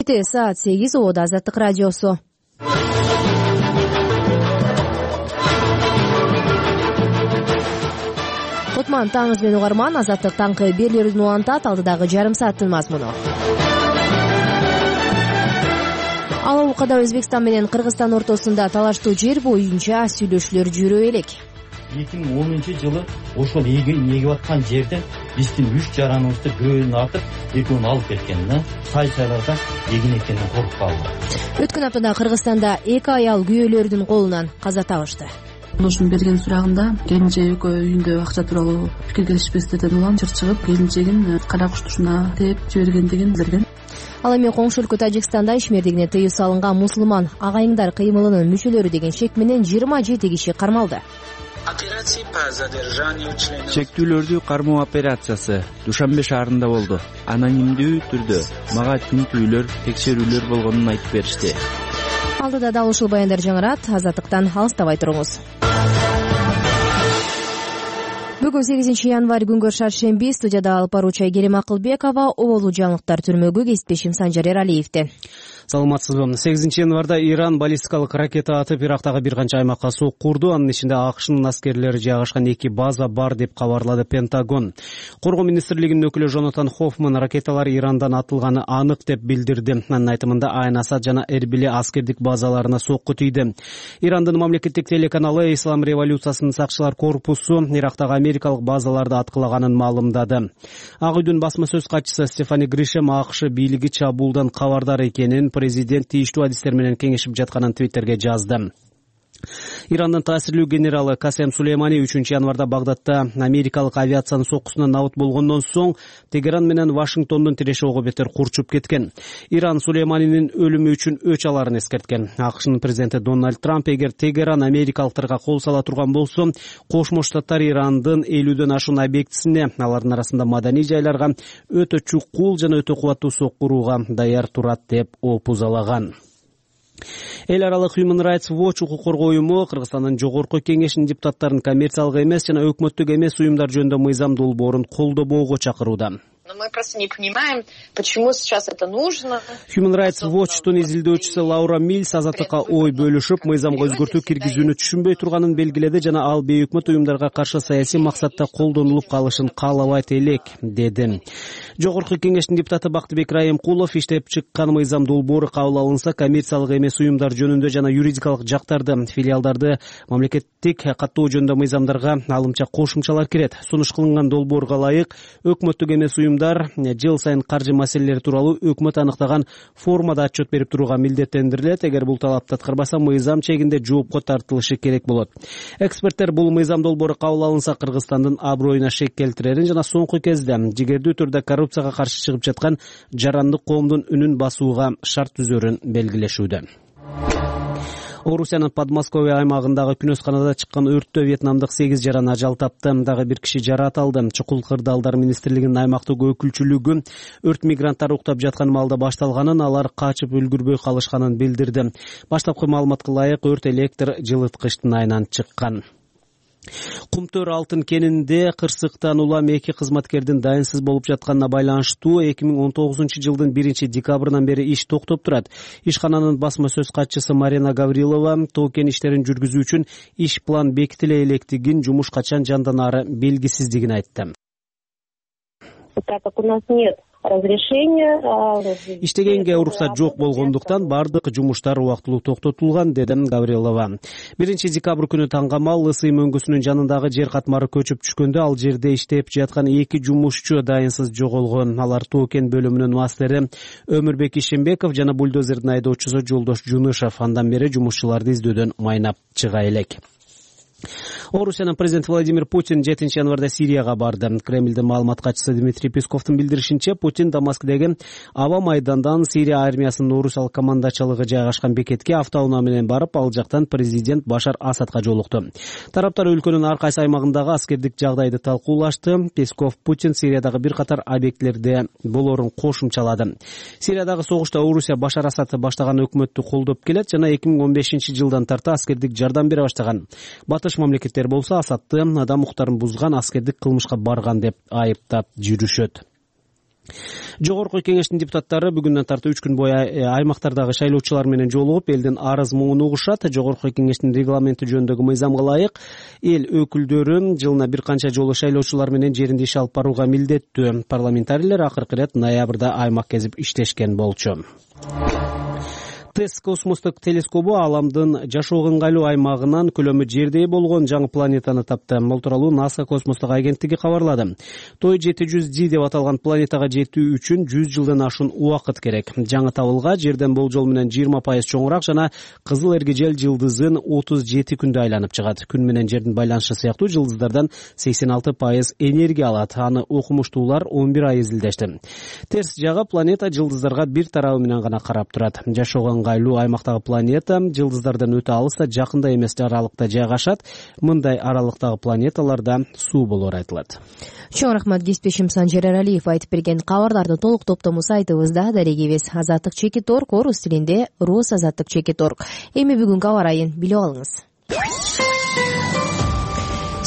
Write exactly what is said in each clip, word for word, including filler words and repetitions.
Чети саат сегиз обода Азаттык радиосу. Кутман таңыз менен угарман, Азаттык таңкы берилерин улантат. Алдыдагы жарым сааттын мазмуну. Ал убакта Өзбекстан менен Кыргызстан ортосунда талаштуу жер боюнча сүйлөшүүлөр жүрө элек. эки миң онунчу жылы ошол эгип аткан жерден биздин үч жараныбызды бирөөнү артып, экөөнү алып кеткен. Сай-сайларда эгин экенин коркуп калды. Өткөн аптада Кыргызстанда эки аял күйөөлөрдүн колунан каза табышты. Ошонун берген сурагында келинчеги экөө үйүндө акча тууралуу пикир келишпестерден улам чыр чыгып, келинчегин кара куштушуна тээп жибергендигин билдирген. Ал эми коңшу өлкө Тажикстанда ишмердигине тыюу салынган мусулман агайыңдар кыймылынын мүчөлөрү деген шек менен жыйырма жети киши кармалды. Чектүүлөрдү кармоо операциясы Душанбе шаарында болду. Анонимдүү түрдө мага тинтүүлөр, текшерүүлөр болгонун айтып беришти. Алдыда дал ушул баяндар жаңырат. Азаттыктан алыстабай туруңуз. Бүгүн сегизинчи январь күнгө шаршемби. Студияда алып баруучу Айгерим Акылбекова, оболу жаңылыктар түрмөгү кесиптешим Санжар Эралиевди. Саламатсызбы. сегизинчи январда Иран баллистикалык ракета атып Ирактагы бир канча аймакка сок курду. Анын ичинде АКШнын аскерлери жайгашкан эки база бар деп кабарлады Пентагон. Коргоо министрлигинин өкүлү Жонатан Хоффман ракеталар Ирандан атылганы анык деп билдирди. Анын айтымында Айн Асад жана Эрбили аскердик базаларына сокку тийди. Ирандын мамлекеттик телеканалы Ислам революциясынын сакчылар корпусу Ирактагы америкалык базаларды аткылаганын маалымдады. Ак үйдүн басма сөз катчысы Стефани Гришем АКШ бийлиги чабуулдан кабардар экенин, президент тийиштүү адистер менен кеңешип жатканын Твиттерге жазды. Ирандын таасирлүү генералы Касем Сулеймани үчүнчү январда Багдадта америкалык авиациянын соккусунан набыт болгондон соң Тегеран менен Вашингтондун тиреши ого бетер курчуп кеткен. Иран Сулейманинин өлүмү үчүн өч аларын эскерткен. АКШнын президенти Дональд Трамп эгер Тегеран америкалыктарга кол сала турган болсо, Кошмо Штаттар Ирандын элүүдөн ашуун объектисине, алардын арасында маданий жайларга өтө чукул жана өтө кубаттуу сокку урууга даяр турат деп опузалаган. Эл аралык Human Rights Watch укук коргоо уюму Кыргызстандын жогорку кеңешинин депутаттарын коммерциялык эмес жана өкмөттүк эмес уюмдар жөнүндө мыйзам долбоорун колдобоого чакырууда. Но мы просто не понимаем, почему сейчас это нужно. Human Rights Watch'тун изилдөөчүсү Лаура Милс Азаттыкка ой бөлүшүп, мыйзамга өзгөртүү киргизүүнү түшүнбөй турганын белгиледи жана ал бейөкмөт уюмдарга каршы саясий максатта колдонулуп калышын каалабайт элек, деди. Жогорку кеңештин депутаты Бактыбек Райымкулов иштеп чыккан мыйзам долбоору кабыл алынса, коммерциялык эмес уюмдар жөнүндө жана юридикалык жактарды, филиалдарды мамлекеттик каттоо жөнүндө мыйзамдарга алымча кошумчалар кирет. Сунуш кылынган долбоорго ылайык өкмөттүк эмес уюмдар жыл сайын каржы маселелери тууралуу өкмөт аныктаган формада отчет берип турууга милдеттендирилет. Эгер бул талапты аткарбаса, мыйзам чегинде жоопко тартылышы керек болот. Эксперттер бул мыйзам долбоору кабыл алынса Кыргызстандын аброюна шек келтирерин жана соңку кезде жигердүү түрдө коррупцияга каршы чыгып жаткан жарандык коомдун үнүн басууга шарт түзөрүн белгилешүүдө. Орусиянын Подмосковье аймагындагы күнөсканада чыккан өрттө вьетнамдык сегиз жаран ажал тапты. Дагы бир киши жаратылды. Чукул кырдаалдар министрлигинин аймактык өкүлчүлүгү өрт мигранттар уктап жаткан маалда башталганын, алар качып үлгүрбөй калышканын билдирди. Баштапкы маалыматка ылайык өрт электр жылыткычтын айынан чыккан. Кумтөр алтын кенинде кырсыктан улам эки кызматкердин дайынсыз болуп жатканына байланыштуу эки миң он тогузунчу жылдын биринчи декабрынан бери иш токтоп турат. Ишкананын басма сөз катчысы Марина Гаврилова тоо кен иштерин жүргүзүү үчүн иш план бекитиле электигин, жумуш качан жанданаары белгисиздигин айтты. Так как у нас нет разрешения, иштегенге уруксат жок болгондуктан бардык жумуштар убактылуу токтотулган, деди Гаврилова. биринчи декабрь күнү таңгамал Ысый мөңгүсүнүн жанындагы жер катмары көчүп түшкөндө ал жерде иштеп жаткан эки жумушчу дайынсыз жоголгон. Алар тоо кен бөлүмүнүн мастери Өмүрбек Ишембеков жана бульдозердин айдоочусу Жолдош Жунышев. Андан бери жумушчуларды издөөдөн майнап чыга элек. Орусиянын президенти Владимир Путин жетинчи январда Сирияга барды. Кремлдин маалымат катчысы Дмитрий Песковдун билдиришинче, Путин Дамаскдеги аба майдандан Сирия армиясынын орусиялык командачылыгы жайгашкан бекетке автоунаа менен барып, ал жактан президент Башар Асадка жолукту. Тараптар өлкөнүн ар кайсы аймагындагы аскердик жагдайды талкуулашты. Песков Путин Сириядагы бир катар объектилерде болорун кошумчалады. Сириядагы согушта Орусия Башар Асад баштаган өкмөттү колдоп келет жана эки миң он бешинчи жылдан тарта аскердик жардам бере баштаган. Батыш мамлекеттер болсо Асадты адам укуктарын бузган, аскердик кылмышка барган деп айыптап жүрүшөт. Жогорку кеңештин депутаттары бүгүндөн тартып үч күн бою аймактардагы шайлоочулар менен жолугуп, элдин арыз муңун угушат. Жогорку кеңештин регламенти жөнүндөгү мыйзамга ылайык эл өкүлдөрү жылына бир канча жолу шайлоочулар менен жеринде иш алып барууга милдеттүү. Парламентарийлер акыркы ирет ноябрда аймак кезип иштешкен болчу. ТЭСС космостук телескобу Ааламдын жашоого ыңгайлуу аймагынан көлөмү жердей болгон жаңы планетаны тапты. Бул тууралуу НАСА космостук агенттиги кабарлады. той жети жүз Д деп аталган планетага жетүү үчүн жүз жылдан ашуун убакыт керек. Жаңы табылга жерден болжол менен жыйырма пайыз чоңураак жана кызыл эргежел жылдызын отуз жети күндө айланып чыгат. Күн менен жердин байланышы сыяктуу жылдыздардан сексен алты пайыз энергия алат. Аны окумуштуулар он бир ай изилдешти. Терс жагы планета жылдыздарга бир тарабы менен гана карап турат. Жашоого ыңгайлуу аймактагы планета жылдыздардан өтө алыс да жакында эмес аралыкта жайгашат. Мындай аралыктагы планеталарда суу болор айтылат. Чоң рахмат кесиптешим Санжер Эралиев айтып берген кабарларды толук топтому сайтыбызда дарегибиз азаттык чекит орг орус тилинде рус азаттык чекит орг. Эми бүгүнкү аба ырайын билип алыңыз.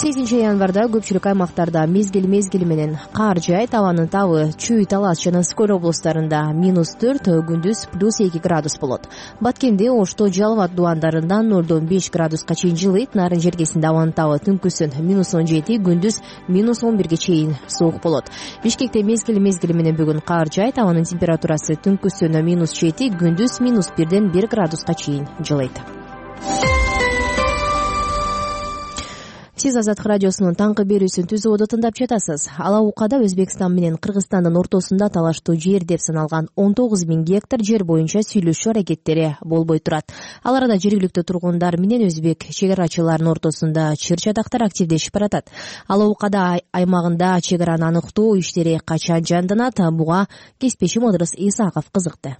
сегизинчи январда көпчүлүк аймактарда мезгил мезгили менен кар жаайт. Абанын табы Чүй, Талас жана Скөл облустарында минус төрт, күндүз плюс эки градус болот. Баткенде, Ошто, Жалбат дубандарында нолдон беш градуска чейин жылыйт. Нарын жергесинде абанын табы түнкүсүн минус он жети, күндүз минус он бирге чейин суук болот. Бишкекте мезгил мезгили менен бүгүн кар жаайт. Абанын температурасы түнкүсүн минус жети, күндүз минус бирден бир градуска чейин жылыйт. Сиз Азаттык радиосунун таңкы берүүсүн түзүүдө тыңдап жатасыз. Алабукада Өзбекстан менен Кыргызстандын ортосунда талаштуу жер деп саналган он тогуз миң гектар жер боюнча сүйлөшүү аракеттери болбой турат. Ал арада жергиликтүү тургундар менен өзбек чек арачыларынын ортосунда чыр-чатактар активдешип баратат. Алабукада аймагында чек араны аныктоо иштери качан жанданат? Буга кесиптешим Ыдырыс Исаков кызыкты.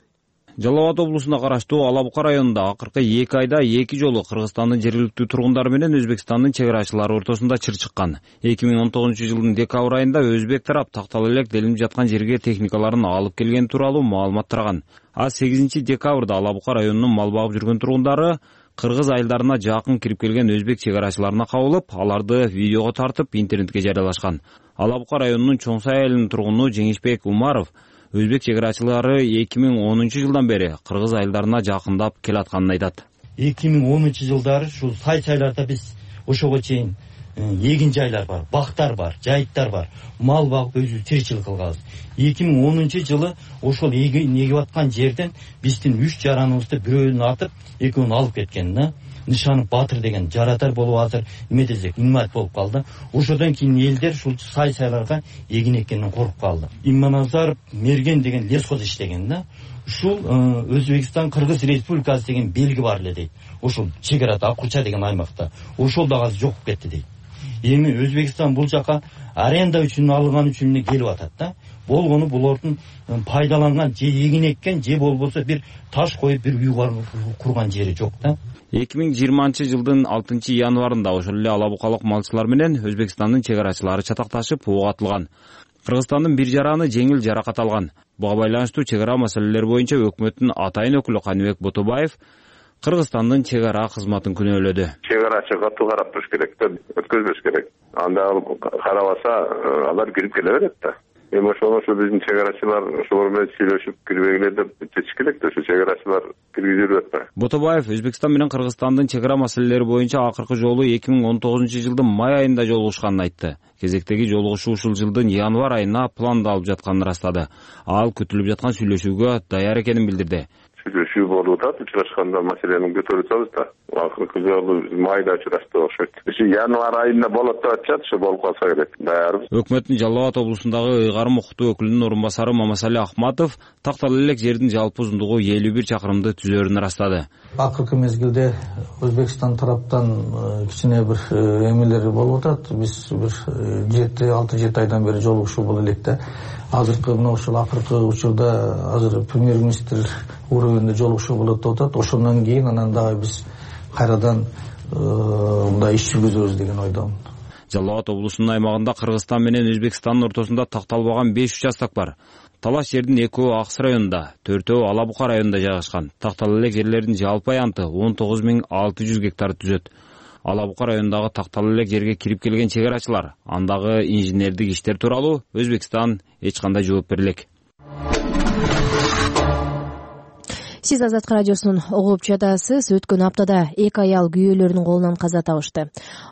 Жалал Абад облусуна караштуу Алабука районунда акыркы эки айда эки жолу Кыргызстандын жергиликтүү тургундары менен Өзбекстандын чек арачылары ортосунда чыр чыккан. эки миң он тогузунчу жылдын декабрь айында өзбек тарап тактала элек делинип жаткан жерге техникаларын алып келген тууралуу маалымат тараган. А сегизинчи декабрда Алабука районунун мал багып жүргөн тургундары кыргыз айылдарына жакын кирип келген өзбек чек арачыларына кабылып, аларды видеого тартып интернетке жарыялашкан. Алабука районунун Чоң Сай айылынын тургуну Жеңишбек Умаров өзбек чек арачылары эки миң онунчу жылдан бери кыргыз айылдарына жакындап келатканын айтат. эки миң онунчу жылдары ушул сай-сайларда биз ошого чейин эгин жайлар бар, бактар бар, жайыттар бар. Мал багып өзүбүз тиричилик кылганбыз. эки миң онунчу жылы ошол эгип аткан жерден биздин үч жараныбызды бирөөнү атып, экөөнү алып кеткен да. Нышанов Батыр деген жаратар болуп азыр эме десек инвалид болуп калды. Ошодон кийин элдер ушул сай-сайларга эгин эккенден коркуп калды. Имманазаров Мерген деген лесхоз иштеген да. Ушул Өзбекстан Кыргыз Республикасы деген белги бар эле дейт. Ошол чек арада Аккуча деген аймакта. Ошол да азыр жок кетти дейт. Эми Өзбекстан бул жака аренда үчүн алынган үчүн эле келип атат да. Болгону булардын пайдаланган же эгин эккен же болбосо бир таш коюп бир үй курган жери жок да. эки миң жыйырманчы жылдын алтынчы январында ошол эле алабукалык малчылар менен Өзбекстандын чек арачылары чатакташып ок атылган. Кыргызстандын бир жараны жеңил жаракат алган. Буга байланыштуу чек ара маселелери боюнча өкмөттүн атайын өкүлү Каныбек Ботобаев Кыргызстандын чек ара кызматын күнөөлөдү. Чек арачы катуу карап туруш керек да, өткөзбөш керек. Анда карабаса алар кирип келе берет да. Эми ошону ошо биздин чек арачылар ошолор менен сүйлөшүп кирбегиле деп чечиш керек да, ошо чек арачылар киргизип атпайбы. Ботобаев Өзбекстан менен Кыргызстандын чек ара маселелери боюнча акыркы жолу эки миң он тогузунчу жылдын май айында жолугушканын айтты. Кезектеги жолугушуу ушул жылдын январь айына пландалып жатканын ырастады. Ал күтүлүп жаткан сүйлөшүүгө даяр экенин билдирди. Сүйлөшүү болуп атат, учурашканда маселени көтөрүп атабыз да. Акыркы жолу майда учурашты окшойт. Ушу январь айында болот деп атышат, ошо болуп калса керек. Даярбыз. Өкмөттүн Жалал Абад облусундагы ыйгарым укуктуу өкүлүнүн орун басары Мамасали Ахматов тактала элек жердин жалпы узундугу элүү бир чакырымды түзөрүн ырастады. Акыркы мезгилде Өзбекстан тараптан кичине бир эмелер болуп атат. Биз бир жети алты жети айдан бери жолугушуу болуп элек да. Азыркы мына ушул акыркы учурда азыр премьер-министр уровенде жолугушуу болот деп атат. Ошондон кийин анан дагы биз кайрадан мындай иш жүргүзөбүз деген ойдомун. Жалал Абад облусунун аймагында Кыргызстан менен Өзбекстандын ортосунда такталбаган беш участок бар. Талаш жердин экөө Акс районунда, төртөө Алабука районунда жайгашкан. Тактала элек жерлердин жалпы аянты он тогуз миң алты жүз гектар түзөт. Алабука районундагы тактала элек жерге кирип келген чек арачылар андагы инженердик иштер тууралуу Өзбекстан эч кандай жооп бере элек. Сиз Азаттык радиосун угуп жатасыз. Өткөн аптада эки аял күйөөлөрүнүн колунан каза табышты.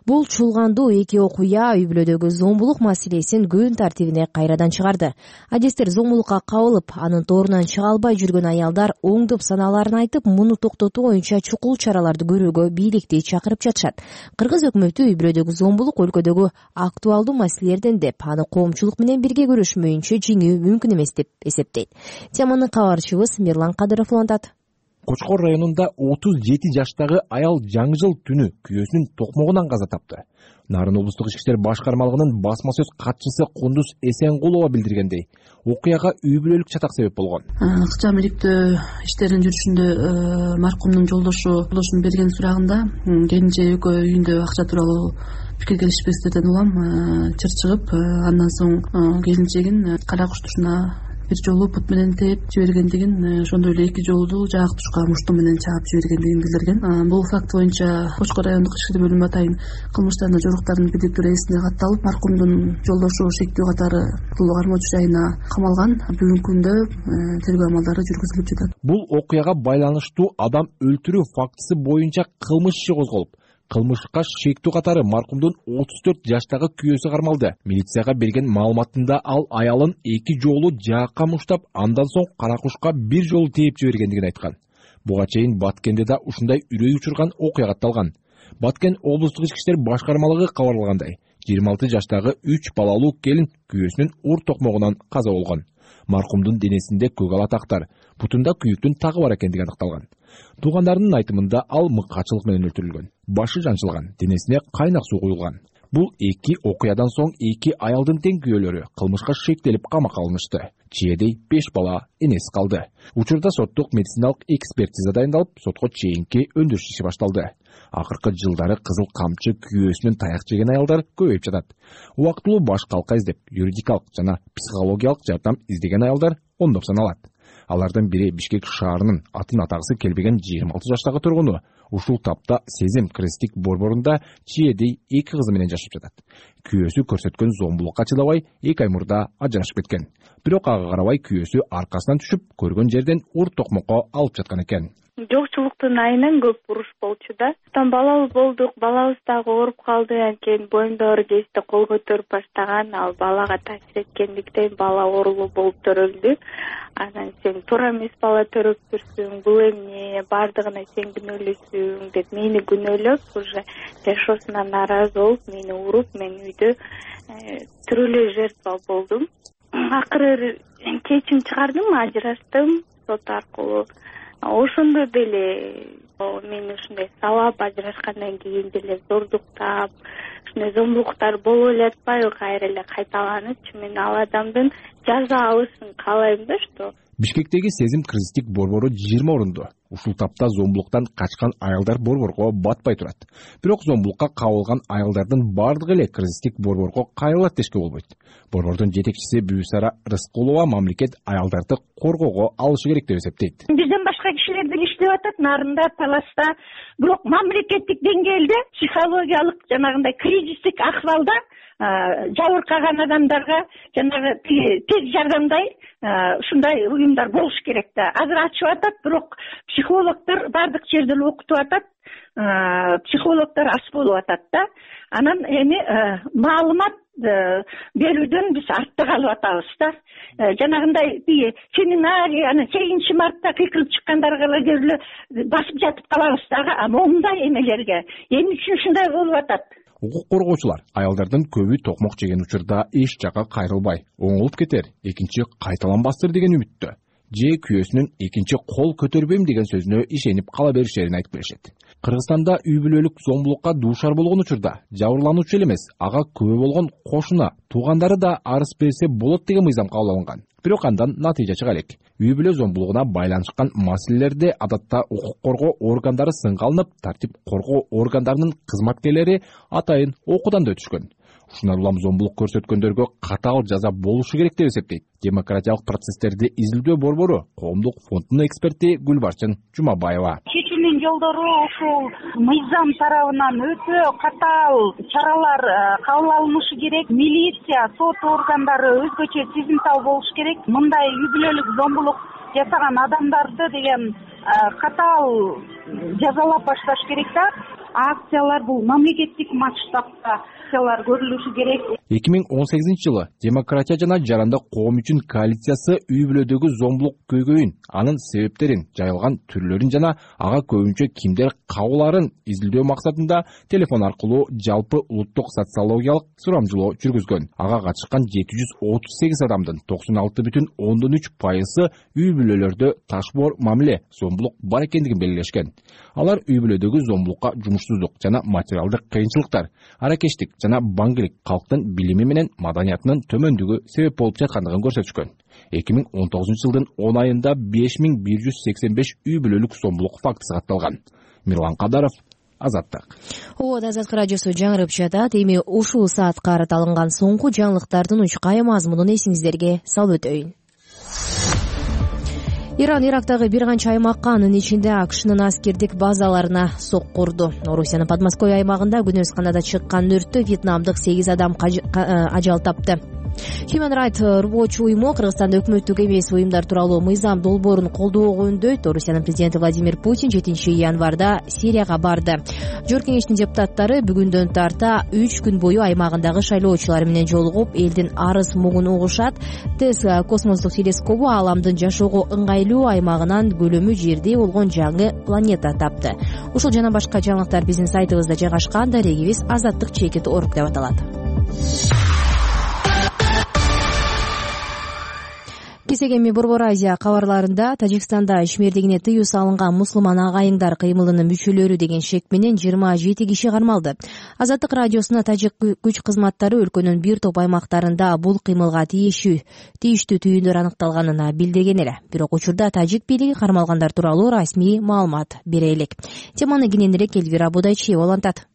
Бул чулгандуу эки окуя үй бүлөдөгү зомбулук маселесин күн тартибине кайрадан чыгарды. Адистер зомбулукка кабылып, анын торунан чыга албай жүргөн аялдар оңдоп санааларын айтып, муну токтотуу боюнча чукул чараларды көрүүгө бийликти чакырып жатышат. Кыргыз өкмөтү үй бүлөдөгү зомбулук өлкөдөгү актуалдуу маселелерден деп, аны коомчулук менен бирге күрөшмөйүнчө жеңүү мүмкүн эмес деп эсептейт. Теманы кабарчыбыз Мирлан Кадыров улантат. Кочкор районунда отуз жети жаштагы аял жаңы жыл түнү күйөөсүнүн токмогунан каза тапты. Нарын облустук ички иштер башкармалыгынын басма сөз катчысы Кундуз Эсенгулова билдиргендей, окуяга үй бүлөлүк чатак себеп болгон. Кычам иликтөө иштеринин жүрүшүндө маркумдун жолдошу жолдошунун берген сурагында келинче экөө үйүндө акча тууралуу пикир келишпестиктерден улам чыр чыгып, андан соң келинчегин кара куштушуна бир жолу бут менен тээп жибергендигин, ошондой эле эки жолу жаак тушка мушту менен чаап жибергендигин билдирген. Бул факт боюнча Кочкор райондук ички иштер бөлүмү атайын кылмыш жана жоруктардын күдүктүү эсине катталып, маркумдун жолдошу шектүү катары катылуу кармоочу жайына камалган. Бүгүнкү күндө тергөө амалдары жүргүзүлүп жатат. Бул окуяга байланыштуу адам өлтүрүү фактысы боюнча кылмыш иши козголуп, кылмышка шектүү катары маркумдун отуз төрт жаштагы күйөөсү кармалды. Милицияга берген маалыматында ал аялын эки жолу жаакка муштап, андан соң каракушка бир жолу тээп жибергендигин айткан. Буга чейин Баткенде да ушундай үрөй учурган окуя катталган. Баткен облустук ички иштер башкармалыгы кабарлагандай, жыйырма алты жаштагы үч балалуу келин күйөөсүнүн ур токмогунан каза болгон. Маркумдун денесинде көк ала тактар, бутунда күйүктүн тагы бар экендиги аныкталган. Туугандарынын айтымында ал мыкаачылык менен өлтүрүлгөн. Башы жанчылган, денесине кайнак суу куюлган. Бул эки окуядан соң эки аялдын тең күйөөлөрү кылмышка шектелип камакка алынышты. Чиедей беш бала энесиз калды. Учурда соттук медициналык экспертиза дайындалып, сотко чейинки өндүрүш иши башталды. Акыркы жылдары кызыл камчы күйөөсүнөн таяк жеген аялдар көбөйүп жатат. Убактылуу баш калка издеп, юридикалык жана психологиялык жардам издеген аялдар ондоп саналат. Алардын бири Бишкек шаарынын атын атагысы келбеген жыйырма алты жаштагы тургуну. Ушул тапта Сезим крестик борборунда Чиедей эки кызы менен жашап жатат. Күйөөсү көрсөткөн зомбулукка чыдабай эки ай мурда ажырашып кеткен. Бирок ага карабай күйөөсү аркасынан түшүп, көргөн жерден ур токмокко алып жаткан экен. Жокчулуктун айынан көп уруш болчу да. Там балабыз болдук, балабыз дагы ооруп калды, анткени боюнда оор кезде кол көтөрүп баштаган, ал балага таасир эткендиктен бала оорулуу болуп төрөлдү. Анан сен туура эмес бала төрөптүрсүң, бул эмне, баардыгына сен күнөөлөсүң деп мени күнөөлөп, уже жашоосунан нааразы болуп, мени уруп, мен үйдө тирүүлө жертва болдум. Акыры чечим чыгардым, ажырастым сот аркылуу. Ошондо деле мен ушундай сабап ажырашкандан кийин деле зордуктап, ушундай зомбулуктар болуп эле атпайбы, кайра эле кайталанычы. Мен ал адамдын жаза алышын каалайм да, что. Бишкектеги Сезим крестик борбору жыйырма орунду. Ушул тапта зомбулуктан качкан аялдар борборго батпай турат. Бирок зомбулукка кабылган аялдардын бардыгы эле крестик борборго кайрылат дешке болбойт. Борбордун жетекчиси Бүүсара Рыскулова мамлекет аялдарды коргоого алышы керек деп эсептейт. Бизден башка кишилер деле иштеп атат, нарында, таласта. Бирок мамлекеттик деңгээлде психологиялык жанагындай кризистик акыбалда жабыркаган адамдарга жанагы тез жардамдай ушундай уюмдар болуш керек да. Азыр ачып атат, бирок психологдор бардык жерде окутуп атат, психологдор аз болуп атат да. Анан эми маалымат берүүдөн биз артта калып атабыз да. Жанагындай семинарий, анан сегизинчи мартта кыйкылып чыккандарга эле басып жатып калабыз дагы, а момундай эмелерге эмне үчүн ушундай болуп атат? Укук коргоочулар аялдардын көбү токмок жеген учурда эч жака кайрылбай, оңолуп кетер, экинчи кайталанбастыр деген үмүттө. Же күйөөсүнүн экинчи кол көтөрбөйм деген сөзүнө ишенип кала беришерин айтып келишет. Кыргызстанда үй бүлөлүк зомбулукка дуушар болгон учурда жабырлануучу эле эмес, ага күбө болгон кошуна, туугандары да арыз берсе болот деген мыйзам кабыл алынган. Бирок андан натыйжа чыга элек. Үй бүлө зомбулугуна байланышкан маселелерде адатта укук коргоо органдары сынга алынып, тартип коргоо органдарынын кызматкерлери атайын окуудан да өтүшкөн. Ушундан улам зомбулук көрсөткөндөргө катаал жаза болушу керек деп эсептейт демократиялык процесстерди изилдөө борбору коомдук фондунун эксперти Гүлбарчын Жумабаева. элчинин жолдору ушул мыйзам тарабынан өтө катаал чаралар кабыл алынышы керек. Милиция, сот органдары өзгөчө сезимтал болуш керек. Мындай үй бүлөлүк зомбулук жасаган адамдарды деген катаал жазалап башташ керек да. Акциялар бул мамлекеттик масштабта акциялар көрүлүшү керек. эки миң он сегизинчи жылы демократия жана жарандык коом үчүн коалициясы үй бүлөдөгү зомбулук көйгөйүн, анын себептерин, жайылган түрлөрүн жана ага көбүнчө кимдер кабылаарын изилдөө максатында телефон аркылуу жалпы улуттук социологиялык сурамжылоо жүргүзгөн. Ага катышкан жети жүз отуз сегиз адамдын токсон алты бүтүн ондон үч пайызы үй бүлөлөрдө ташбоор мамиле, зомбулук бар экендигин белгилешкен. Алар үй бүлөдөгү зомбулукка жумушсуздук жана материалдык кыйынчылыктар, аракештик жана баңгилик, калктын билими менен маданиятынын төмөндүгү себеп болуп жаткандыгын көрсөтүшкөн. эки миң он тогузунчу жылдын он айында беш миң бир жүз сексен беш үй бүлөлүк зомбулук фактысы катталган. Мирлан Кадаров, Азаттык. Обод Азаттык радиосу жаңырып жатат. Эми ушул саат карат алынган соңку жаңылыктардын учкай мазмунун эсиңиздерге салып өтөйүн. Иран Ирактагы бир канча аймакка, анын ичинде АКШнын аскердик базаларына сокку урду. Орусиянын Подмосковье аймагында күнөз канада чыккан өрттө вьетнамдык сегиз адам ажал тапты. Human Rights Watch уюму Кыргызстанда өкмөттүк эмес уюмдар тууралуу мыйзам долбоорун колдоого үндөйт. Орусиянын президенти Владимир Путин жетинчи январда Сирияга барды. Жогорку кеңештин депутаттары бүгүндөн тарта үч күн бою аймагындагы шайлоочулар менен жолугуп, элдин арыз мугун угушат. ТЭС космостук телескобу ааламдын жашоого ыңгайлуу аймагынан көлөмү жерде болгон жаңы планета тапты. Ушул жана башка жаңылыктар биздин сайтыбызда жайгашкан. Дарегибиз Азаттык чекит орг деп аталат. Кесегеми Борбор Азия кабарларында Тажикстанда ишмердигине тыюу салынган мусулман агайыңдар кыймылынын мүчөлөрү деген шек менен жыйырма жети киши кармалды. Азаттык радиосуна тажик күч кызматтары өлкөнүн бир топ аймактарында бул кыймылга тийиштүү түйүндөр аныкталганын билдирген эле. Бирок учурда тажик бийлиги кармалгандар тууралуу расмий маалымат бере элек. Теманы кененирээк Элвира Будайчиева улантат.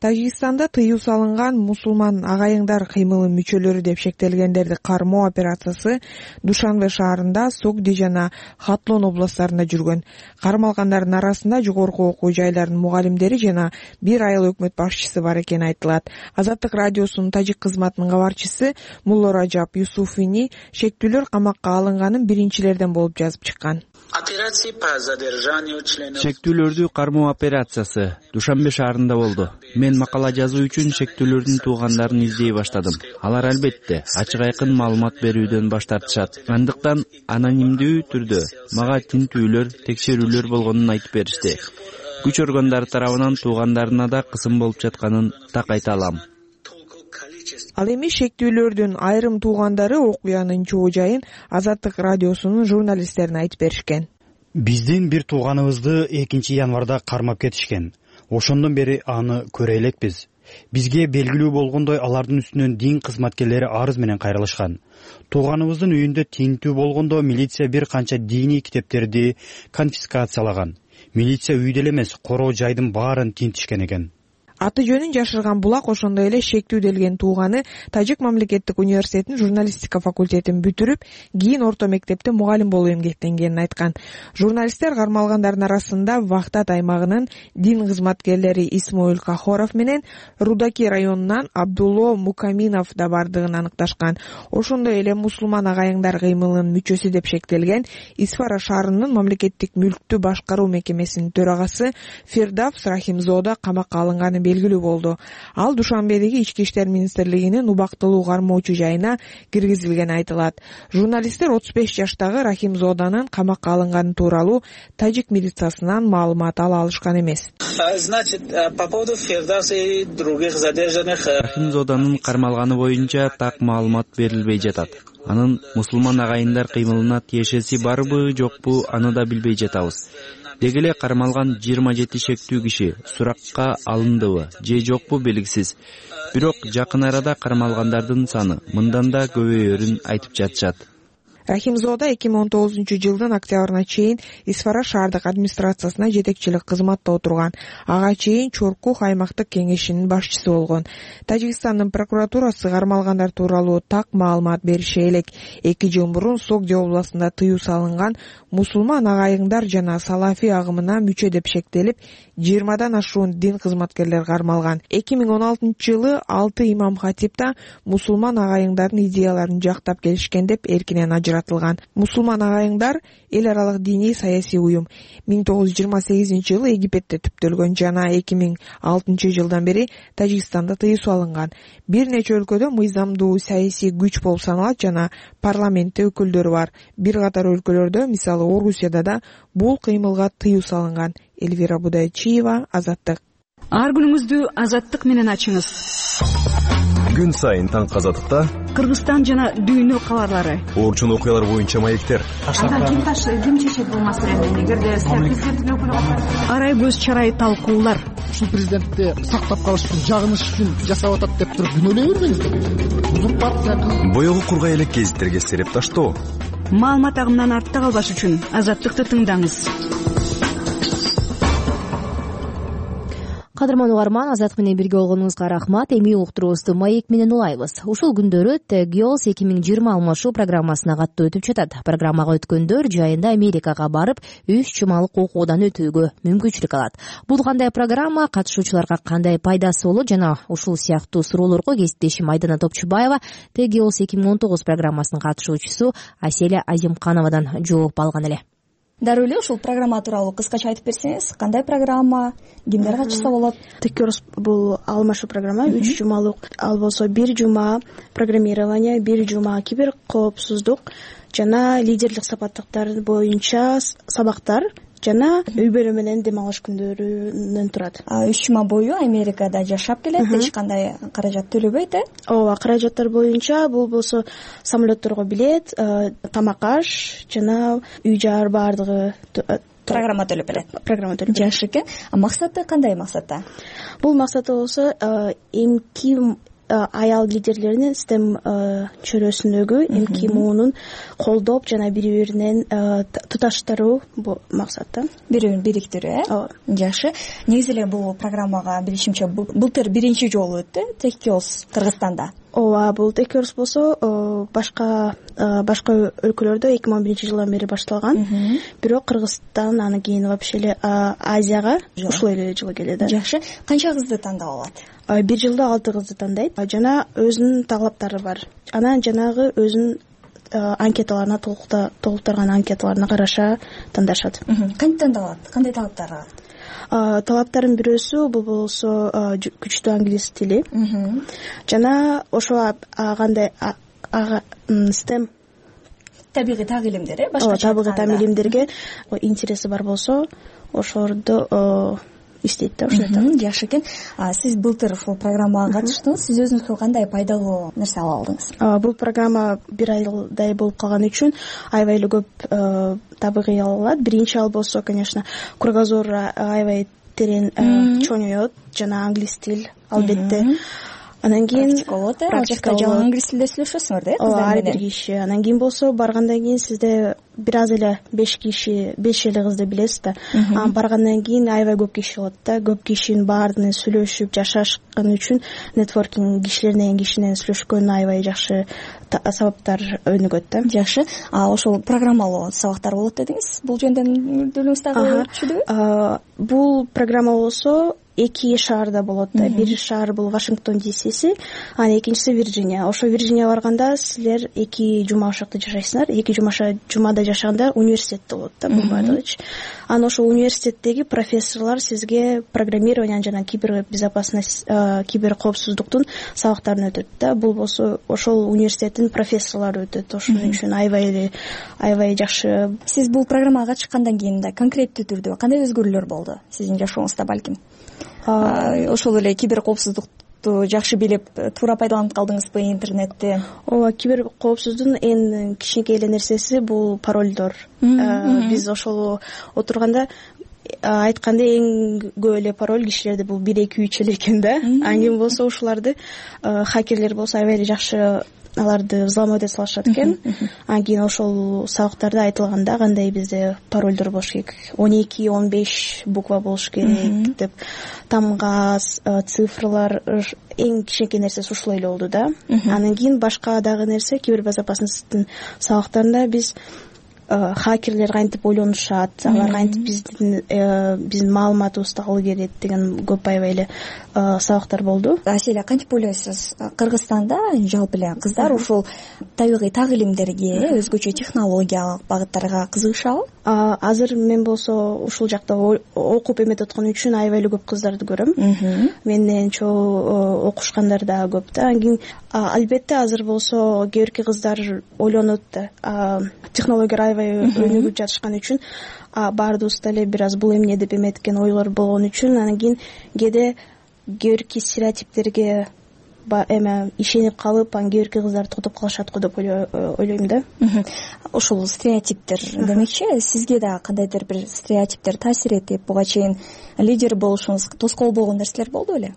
Тажикстанда тыюу салынган мусулман агайыңдар кыймылынын мүчөлөрү деп шектелгендерди кармоо операциясы Душанбе шаарында, Согди жана Хатлон областтарында жүргөн. Кармалгандардын арасында жогорку окуу жайларынын мугалимдери жана бир айыл өкмөт башчысы бар экени айтылат. Азаттык радиосунун тажик кызматынын кабарчысы Мулло Ражап Юсуфини шектүүлөр камакка алынганын биринчилерден болуп жазып чыккан. Шектүүлөрдү кармоо операциясы Душанбе шаарында болду. Мен макала жазуу үчүн шектүүлөрдүн туугандарын издей баштадым. Алар албетте ачык айкын маалымат берүүдөн баш тартышат. Андыктан анонимдүү түрдө мага тинтүүлөр, текшерүүлөр болгонун айтып беришти. Күч органдары тарабынан туугандарына да кысым болуп жатканын так айта алам. Ал эми шектүүлөрдүн айрым туугандары окуянын чоо жайын Азаттык радиосунун журналисттерине айтып беришкен. Биздин бир тууганыбызды экинчи январда кармап кетишкен. Ошондон бери аны көрө элекпиз. Бизге белгилүү болгондой алардын үстүнөн дин кызматкерлери арыз менен кайрылышкан. Тууганыбыздын үйүндө тинтүү болгондо милиция бир канча диний китептерди конфискациялаган. Милиция үйдө эле эмес, короо жайдын баарын тинтишкен экен. Аты жөнүн жашырган Булак ошондой эле шектүүделген тууганы Тажик мамлекеттик университетинин журналистика факультетин бүтүрүп, кийин орто мектепте мугалим болуп эмгектенгенин айткан. Журналисттер кармалгандардын арасында Вахтат аймагынын дин кызматкерлери Исмоил Кахоров менен Рудаки районунан Абдулло Мукаминов да бардыгын аныкташкан. Ошондой эле мусулман агайыңдар кыймылынын мүчөсү деп шектелген Исфара шаарынын мамлекеттик мүлктү башкаруу мекемесинин төрагасы Фирдавс Рахимзода камакка алынганы белгилүү болду. Ал Душанбедеги Ички иштер министрлигинин убактылуу кармоочу жайына киргизилгени айтылат. Журналисттер отуз беш жаштагы Рахимзоданын камакка алынганы тууралуу тажик милициясынан маалымат ала алышкан эмес. Рахимзоданын кармалганы боюнча так маалымат берилбей жатат. Анын мусулман агайындар кыймылына тиешеси барбы, жокпу, аны да билбей жатабыз. Деги эле кармалган жыйырма жети шектүү киши суракка алындыбы же жокпу белгисиз. Бирок жакын арада кармалгандардын саны мындан да көбөйөрүн айтып жатышат. Рахимзода эки миң он тогузунчу жылдын октябрына чейин Исфара шаардык администрациясына жетекчилик кызматта отурган. Ага чейин Чоркух аймактык кеңешинин башчысы болгон. Тажикстандын прокуратурасы кармалгандар тууралуу так маалымат бериши элек. Эки жыл мурун Согди областында тыюу салынган мусулман агайыңдар жана салафи агымына мүчө деп шектелип, жыйырмадан ашуун дин кызматкерлер кармалган. эки миң он алтынчы жылы алты имам хатипта мусулман агайыңдардын идеяларын жактап келишкен деп эркинен ажыратылган. Мусулман агайыңдар эл аралык диний саясий уюм. миң тогуз жүз жыйырма сегизинчи жылы Египетте түптөлгөн жана эки миң алтынчы жылдан бери Тажикстанда тыюу салынган. Бир нече өлкөдө мыйзамдуу саясий күч болуп саналат жана парламентте өкүлдөрү бар. Бир катар өлкөлөрдө, мисалы Орусияда да бул кыймылга тыюу салынган. Эльвира Будайчиева, Азаттык. Ар күнүңүздү Азаттык менен ачыңыз. Күн сайын таңкы Азаттыкта Кыргызстан жана дүйнө кабарлары, орчун окуялар боюнча маектер. Анда ким таш ким чечет бул маселени? Эгерде президенттин өкүлү катары арай көз чарай талкуулар. Ушул президентти сактап калыш үчүн, жагыныш үчүн жасап атат деп туруп күнөөлөй бербеңиз. Бул партия боёгу кургай элек гезиттерге сереп таштоо. Маалымат агымынан артта калбаш үчүн Азаттыкты тыңдаңыз. Кадырман угарман, Азаттык менен бирге болгонуңузга рахмат. Эми уктуруубузду маек менен улайбыз. Ушул күндөрү Тегиос эки миң жыйырма алмашуу программасына каттуу өтүп жатат. Программага өткөндөр жайында Америкага барып, үч жумалык окуудан өтүүгө мүмкүнчүлүк алат. Бул кандай программа, катышуучуларга кандай пайдасы болот жана ушул сыяктуу суроолорго кесиптешим Айдана Топчубаева Тегиос эки миң он тогуз программасынын катышуучусу Аселя Азимкановадан жооп алган эле. Дароо эле ушул программа тууралуу кыскача айтып берсеңиз, кандай программа, кимдер катышса болот? Текерс бул алмашуу программа, үч жумалык. Ал болсо бир жума программирование, бир жума кибер коопсуздук жана лидерлик сапаттыктар боюнча сабактар жана үй-бүлө менен дем алыш күндөрүнөн турат. Үч жума бою Америкада жашап келет, эч кандай каражат төлөбөйт, э? Ооба, каражаттар боюнча бул болсо самолетторго билет, тамак аш жана үй-жай баардыгы программа төлөп берет. Программа төлөп. Жакшы экен. А максаты кандай максатта? Бул максаты болсо эмки аял лидерлеринин стем чөйрөсүндөгү эмки муунун колдоп жана бири биринен туташтыруу бул максатта. Бири бирин бириктирүү, э? Жакшы. Негизи эле бул программага билишимче былтыр биринчи жолу өттү Текиос Кыргызстанда. Ооба, бул Текиос болсо башка башка өлкөлөрдө эки миң он биринчи жылдан бери башталган. Бирок Кыргызстан анан кийин вообще эле Азияга ушул эле жылы келет. Жакшы. Канча кызды тандап алат? Бир жылда алты кызды тандайт. Жана өзүнүн талаптары бар. Анан жанагы өзүнүн анкеталарына толуктарган анкеталарына караша тандашат. Кантип тандалат? Кандай талаптар бар? Талаптардын бирөөсү бул болсо күчтүү англис тили. Жана ошо кандай стем табигый так илимдер, э? Башка табигый так илимдерге интереси бар болсо, ошолорду иштейт да, ошондой. Жакшы экен. Сиз былтыр ушул программага катыштыңыз. Сиз өзүңүзгө кандай пайдалуу нерсе ала алдыңыз? Бул программа бир айдай болуп калган үчүн аябай эле көп табигый ала алат. Биринчи ал болсо, конечно, кругозор аябай терен чоңоет жана англис тил албетте. Анан кийин практика болот, э? Ал жакта жалаң англис тилде сүйлөшөсүңөр да, э, кыздар менен? Ар бир киши. Анан кийин болсо баргандан кийин сизде бир аз эле беш киши, беш эле кызды билесиз да. Анан баргандан кийин аябай көп киши болот да. Көп кишинин баары менен сүйлөшүп жашашкан үчүн нетворкинг кишилерден киши менен сүйлөшкөн аябай жакшы сабактар өнүгөт да. Жакшы. А ошол программалуу сабактар болот дедиңиз. Бул жөнүндө мүдүлүңүз дагы түшүндүбү? Бул программа болсо эки шаарда болот да. Бир шаар бул Вашингтон Ди Сиси, анан экинчиси Вирджиния. Ошо Вирджиния барганда силер эки жума ошол жакта жашайсыңар. Эки жумаша жумада жашаганда университетте болот да, бул баардыгычы. Анан ошол университеттеги профессорлор сизге программирование жана кибербезопасность, кибер коопсуздуктун сабактарын өтөт да. Бул болсо ошол университеттин профессорлору өтөт. Ошон үчүн аябай эле аябай жакшы. Сиз бул программага чыккандан кийин да конкреттүү түрдө кандай өзгөрүүлөр болду сиздин жашооңузда балким? Ошол эле кибер коопсуздукту жакшы билип, туура пайдаланып калдыңызбы интернетти? Ооба, кибер коопсуздуктун эң кичинекей эле нерсеси бул паролдор. Биз ошол отурганда айтканда эң көп эле пароль кишилерде бул бир эки үч эле экен да. Анан кийин болсо ушуларды хакерлер болсо аябай эле жакшы аларды взломать эте салышат экен. Анан кийин ошол сабактарда айтылганда кандай бизде паролдор болуш керек, он эки он беш буква болуш керек деп, тамга цифрлар, эң кичинекей нерсеси ушул эле болду да. Анан кийин башка дагы нерсе, кибербезопасностьтун сабактарында биз хакерлер кантип ойлонушат, алар кантип биздин биздин маалыматыбызды алуу керек деген көп аябай эле сабактар болду. Аселя, кантип ойлойсуз, Кыргызстанда жалпы эле кыздар ушул табигый так илимдерге, өзгөчө технологиялык багыттарга кызыгышабы? Азыр мен болсо ушул жакта окуп эметип аткан үчүн аябай эле көп кыздарды көрөм. Менден чоң окушкандар да көп да. Анан кийин албетте азыр болсо кээ бирки кыздар ойлонот да, технологиялар аябай өнүгүп жатышкан үчүн баардыгыбызда эле бир аз бул эмне деп эметкен ойлор болгон үчүн анан кийин кээде кээ бирки стереотиптерге эме ишенип калып, анан кээ бирки кыздар токтоп калышат го деп ойлойм да. Ушул стереотиптер демекчи, сизге да кандайдыр бир стереотиптер таасир этип, буга чейин лидер болушуңуз тоскоол болгон нерселер болду беле?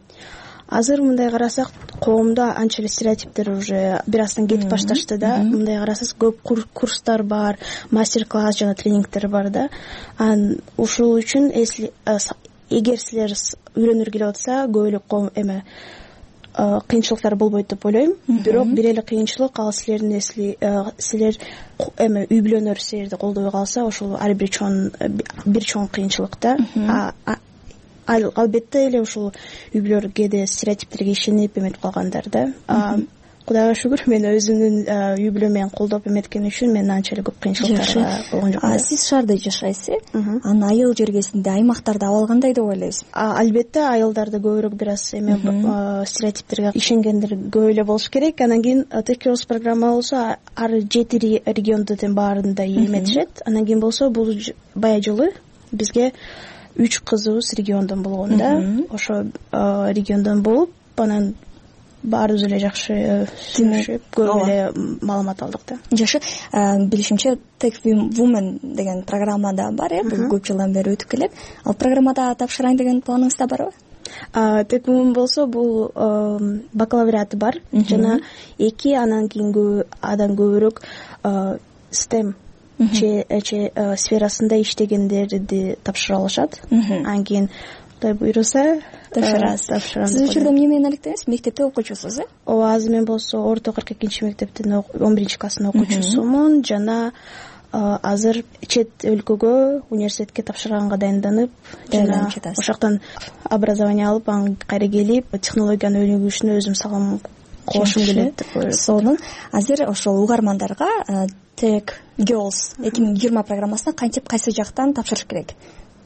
Азыр мындай карасак, коомдо анча эле стереотиптер уже бир аздан кетип башташты да. Мындай карасак, көп курстар бар, мастер-класс жана тренингдер бар да. Анан ушул үчүн эгер силер үйрөнүр келип атса, көп эле коом эме кыйынчылыктар болбойт деп ойлойм. Бирок бир эле кыйынчылык, ал силердин эсли силер эме үй бүлөнөр силерди колдобой калса, ошол ар бир чоң бир чоң кыйынчылык да. Албетте эле ушул үй бүлөлөр кээде стереотиптерге ишенип эметип калгандар да. Кудайга шүгүр, мен өзүмдүн үй бүлөм менен колдоп эметкен үчүн мен анча эле көп кыйынчылыктар болгон жок. Сиз шаарда жашайсыз, анан айыл жергесинде, аймактарда абал кандай деп ойлойсуз? Албетте айылдарда көбүрөөк бир аз эме стереотиптерге ишенгендер көп эле болуш керек. Анан кийин Текиос программа болсо ар жети региондун баарында эметишет. Анан кийин болсо бул бая жылы бизге үч кызыбыз региондон болгон да. Ошо региондон болуп, анан баарыбыз эле жакшы сүйлөшүп, көп эле маалымат алдык да. Жакшы, билишимче Tech Women деген программа да бар, э, бул көп жылдан бери өтүп келет. Ал программада тапшырайын деген планыңызда барбы? Tech Women болсо бул бакалавриаты бар, жана эки анан кийин адан көбүрөөк STEM че сферасында иштегендерди тапшыра алышат. Анан кийин Кудай буйруса тапшырасыз. Сиз учурда эмне менен алектенесиз? Мектепте окуучусуз, э? Ооба, азыр мен болсо орто кырк экинчи мектептин он биринчи класстын окуучусумун, жана азыр чет өлкөгө университетке тапшырганга дайынданып, жана ошол жактан образование алып, анан кайра келип, технологияны өнүгүшүнө өзүм салым кошум келет деп ойлойм. Сонун азыр ошол угармандарга Tech Girls эки миң жыйырма программасына кантип, кайсы жактан тапшырыш керек?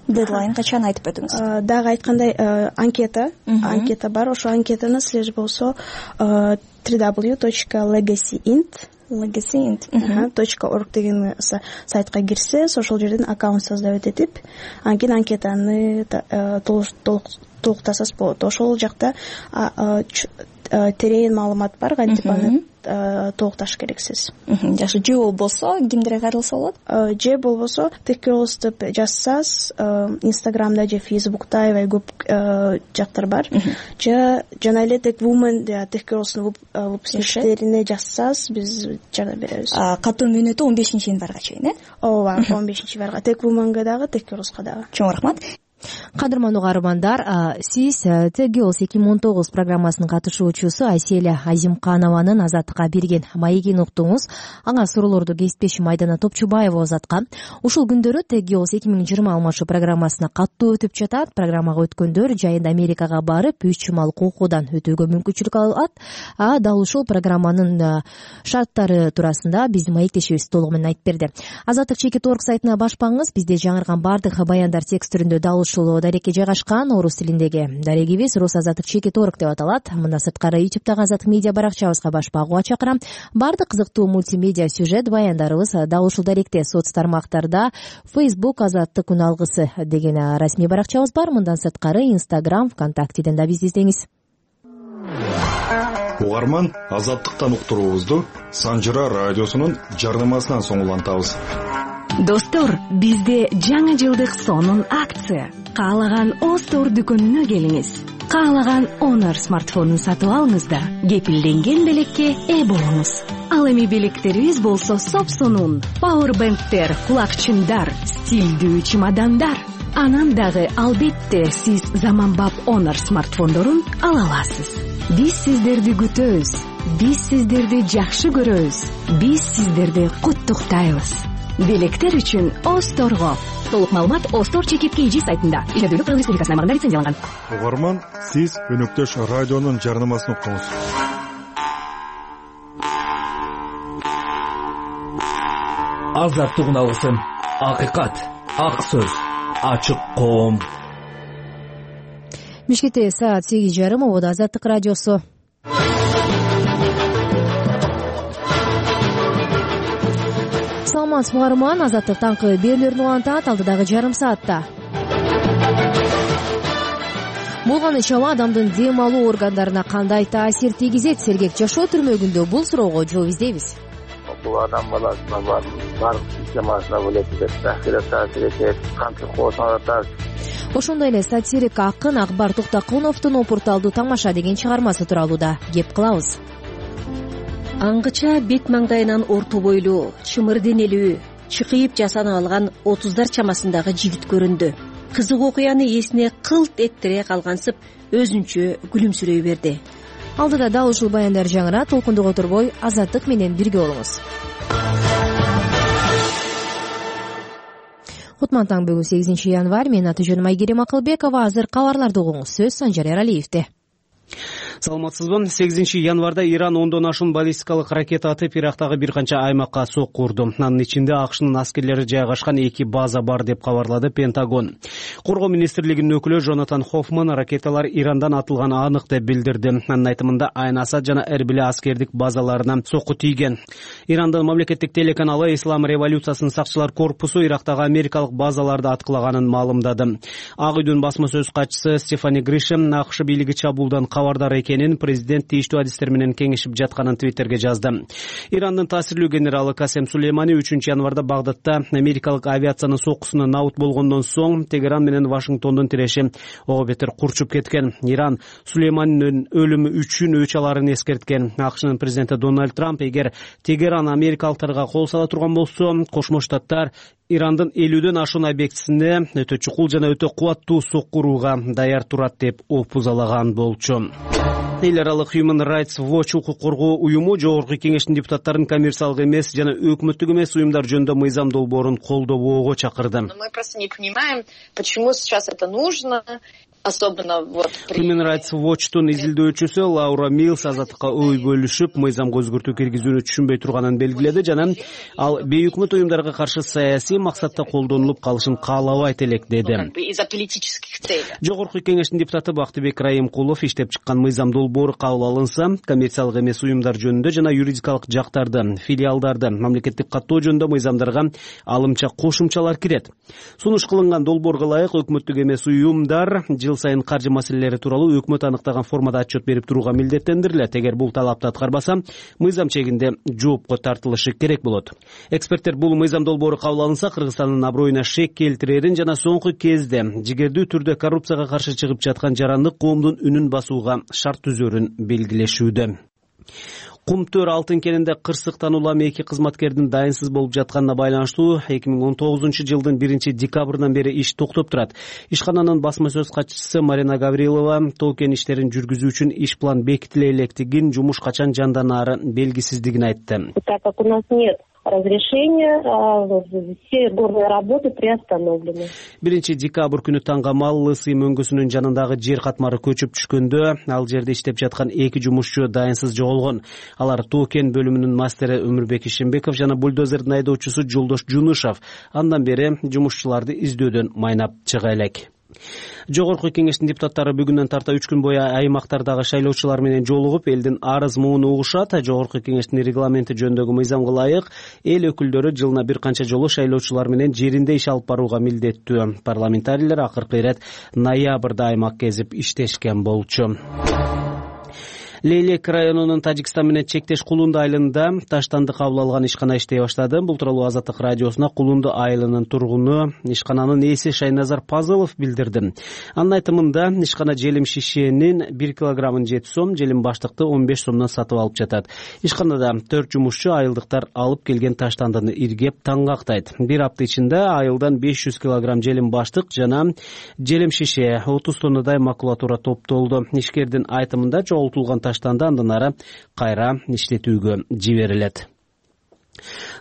Дедлайн качан айтып өтүңүз? Дагы айткандай, анкета, анкета бар. Ошол анкетаны силер болсо дабл ю дабл ю дабл ю точка legacy int legacy точка org деген сайтка кирсеңиз, ошол жерден аккаунт создавать этип, анан кийин анкетаны толуктасаңыз болот. Ошол жакта терең маалымат бар, кантип аны толукташ керексиз. Жакшы, же болбосо кимдерге кайрылса болот? Же болбосо Tech Girls деп жазсаңыз, Instagramда же Facebook'та аябай көп жактар бар. Же жана эле Tech Women же Tech Girls'ун выпускниктерине жазсаңыз, биз жардам беребиз. Катуу мөөнөтү он бешинчи январга чейин, э? Ооба, он бешинчи январга Tech Women'га дагы, Tech Girls'га дагы. Чоң рахмат. Кадырман угармандар, сиз Tech Girls эки миң он тогуз программасынын катышуучусу Айселя Азимканованын Азаттыкка берген маегин уктуңуз. Ага суроолорду кесиптешим Айдана Топчубаева узаткан. Ушул күндөрү Tech Girls эки миң жыйырма алмашы программасына каттуу өтүп жатат. Программага өткөндөр жайында Америкага барып, үч жумалык окуудан өтүүгө мүмкүнчүлүк алат. А дал ушул программанын шарттары туурасында биздин маектешибиз толугу менен айтып берди. Азаттык чекит точка орг сайтына башпаңыз. Бизде жаңырган бардык баяндар текст түрүндө дал ушул дарекке жайгашкан. Орус тилиндеги дарегибиз Рус Азаттык чекит точка орг деп аталат. Мындан сырткары ютубтагы Азаттык медиа баракчабызга башпагууга чакырам. Бардык кызыктуу мультимедиа сюжет баяндарыбыз дал ушул даректе. Соц тармактарда Facebook Азаттык күн алгысы деген расмий баракчабыз бар. Мындан сырткары Instagram, ВКонтактеден да бизди издеңиз. Угарман, Азаттыктан уктуруубузду Санжыра радиосунун жарнамасынан соң улантабыз. Достор, бизде жаңы жылдык сонун акция. Каалаган Остор дүкөнүнө келиңиз. Каалаган Honor смартфонун сатып алыңыз да кепилденген белекке ээ болуңуз. Ал эми белектерибиз болсо сопсонун. Powerbanktер, кулакчындар, стилдүү чемодандар. Анан дагы албетте сиз заманбап Honor смартфондорун ала аласыз. Биз сиздерди күтөбүз. Биз сиздерди жакшы көрөбүз. Биз сиздерди куттуктайбыз. Белектер үчүн Осторго. Толук маалымат Остор чекит кей джи сайтында. Ишендүүлүк Кыргыз Республикасынын аймагында лицензияланган. Угарман, сиз өнөктөш радионун жарнамасын уктуңуз. Азаттык алсын. Акыйкат, ак сөз, ачык коом. Бишкекте саат сегиз жарым. Ободо Азаттык радиосу. Саламатсызбы угарман, Азаттык таңкы берүүлөрүн улантат алдыдагы жарым саатта. Болгон иш-аба адамдын дем алуу органдарына кандай таасир тийгизет? Сергек жашоо түрмөгүндө бул суроого жооп издейбиз. Бул адам баласына бар бардык системасына бөлөтүп, таасир таасир этет, кантип коосуңар. Ошондой эле сатирик акын Акбар Токтокуновдун Опурталдуу тамаша деген чыгармасы тууралуу да кеп кылабыз. Аңгыча бет маңдайынан орто бойлуу, чымыр денелүү, чыкыйып жасанып алган отуздар чамасындагы жигит көрүндү. Кызык окуяны эсине кылт эттире калгансып, өзүнчө күлүмсүрөй берди. Алдыда дал ушул баяндар жаңыра, толкундук отурбой Азаттык менен бирге болуңуз. Кутман таң бүгүн сегизинчи январь. Мен аты жөнүм Айгерим Акылбекова. Азыр кабарларды угуңуз. Сөз Санжар Эралиевде. Саламатсызбы. сегизинчи январда Иран ондон ашуун баллистикалык ракета атып, Ирактагы бир канча аймакка сокку урду. Анын ичинде АКШнын аскерлери жайгашкан эки база бар деп кабарлады Пентагон. Коргоо министрлигинин өкүлү Джонатан Хоффман ракеталар Ирандан атылганы анык деп билдирди. Анын айтымында Айн Асад жана Эрбиле аскердик базаларына сокку тийген. Ирандын мамлекеттик телеканалы Ислам революциясынын сакчылар корпусу Ирактагы америкалык базаларды аткылаганын маалымдады. Ак үйдүн басма сөз катчысы Стефани Гришем АКШ бийлиги чабуулдан кабардар экенин, президент тийиштүү адистер менен кеңешип жатканын Твиттерге жазды. Ирандын таасирлүү генералы Касем Сулеймани үчүнчү январда Багдадта америкалык авиациянын соккусуна наут болгондон соң Тегеран менен Вашингтондун тиреши ого бетер курчуп кеткен. Иран Сулейманинин өлүмү үчүн өч аларын эскерткен. АКШнын президенти Дональд Трамп эгер Тегеран америкалыктарга кол сала турган болсо, Кошмо Штаттар Ирандын элүүдөн ашуун объектисине өтө чукул жана өтө кубаттуу сокку урууга даяр турат деп опузалаган болчу. Эл аралык Human Rights Watch укук коргоо уюму жогорку кеңештин депутаттарын коммерциялык эмес жана өкмөттүк эмес уюмдар жөнүндө мыйзам долбоорун колдобоого чакырды. Мы просто не понимаем, почему сейчас это нужно. Особенно вот Human Rights Watch'тун изилдөөчүсү Лаура Милс Азаттыкка ой бөлүшүп, мыйзамга өзгөртүү киргизүүнү түшүнбөй турганын белгиледи жана ал бейөкмөт уюмдарга каршы саясий максатта колдонулуп калышын каалабайт элек деди. Из-за политических целей. Жогорку кеңештин депутаты Бактыбек Райымкулов иштеп чыккан мыйзам долбоору кабыл алынса, коммерциялык эмес уюмдар жөнүндө жана юридикалык жактарды, филиалдарды, мамлекеттик каттоо жөнүндө мыйзамдарга алымча кошумчалар кирет. Сунуш кылынган долбоорго ылайык өкмөттүк эмес уюмдар жыл сайын каржы маселелери тууралуу өкмөт аныктаган формада отчет берип турууга милдеттендирилет. Эгер бул талапты аткарбаса, мыйзам чегинде жоопко тартылышы керек болот. Эксперттер бул мыйзам долбоору кабыл алынса, Кыргызстандын аброюна шек келтирерин жана соңку кезде жигердүү түрдө коррупцияга каршы чыгып жаткан жарандык коомдун үнүн басууга шарт түзөрүн белгилешүүдө. Кумтөр алтын кенинде кырсыктан улам эки кызматкердин дайынсыз болуп жатканына байланыштуу эки миң он тогузунчу жылдын биринчи декабрынан бери иш токтоп турат. Ишкананын басма сөз катчысы Марина Гаврилова тоо кен иштерин жүргүзүү үчүн иш план бекитиле электигин, жумуш качан жанданаары белгисиздигин айтты. Так как у нас нет разрешения, все горные работы приостановлены. биринчи декабрь күнү таңгамал Лысы мөңгүсүнүн жанындагы жер катмары көчүп түшкөндө, ал жерде иштеп жаткан эки жумушчу дайынсыз жоголгон. Алар тоо кен бөлүмүнүн мастери Өмүрбек Ишембеков жана бульдозердин айдоочусу Жолдош Жунушев. Андан бери жумушчуларды издөөдөн майнап чыга элек. Жогорку кеңештин депутаттары бүгүндөн тарта үч күн бою аймактардагы шайлоочулар менен жолугуп, элдин арыз муун угушат. Жогорку кеңештин регламенти жөнүндөгү мыйзамга ылайык эл өкүлдөрү жылына бир канча жолу шайлоочулар менен жеринде иш алып барууга милдеттүү. Парламентарийлер акыркы ирет ноябрда аймак кезип иштешкен болчу. Лейлек районунун Тажикстан менен чектеш Кулунду айылында таштанды кабыл алган ишкана иштей баштады. Бул тууралуу Азаттык радиосуна Кулунду айылынын тургуну ишкананын ээси Шайназар Пазылов билдирди. Анын айтымында ишкана желим шишенин бир килограммын жети сом, желим баштыкты он беш сомдон сатып алып жатат. Ишканада төрт жумушчу айылдыктар алып келген таштандыны иргеп таңгактайт. Бир апта ичинде айылдан беш жүз килограмм желим баштык жана желим шише, отуз тоннадай макулатура топтолду. Ишкердин айтымында жоголтулган таштанды андан ары кайра иштетүүгө жиберилет.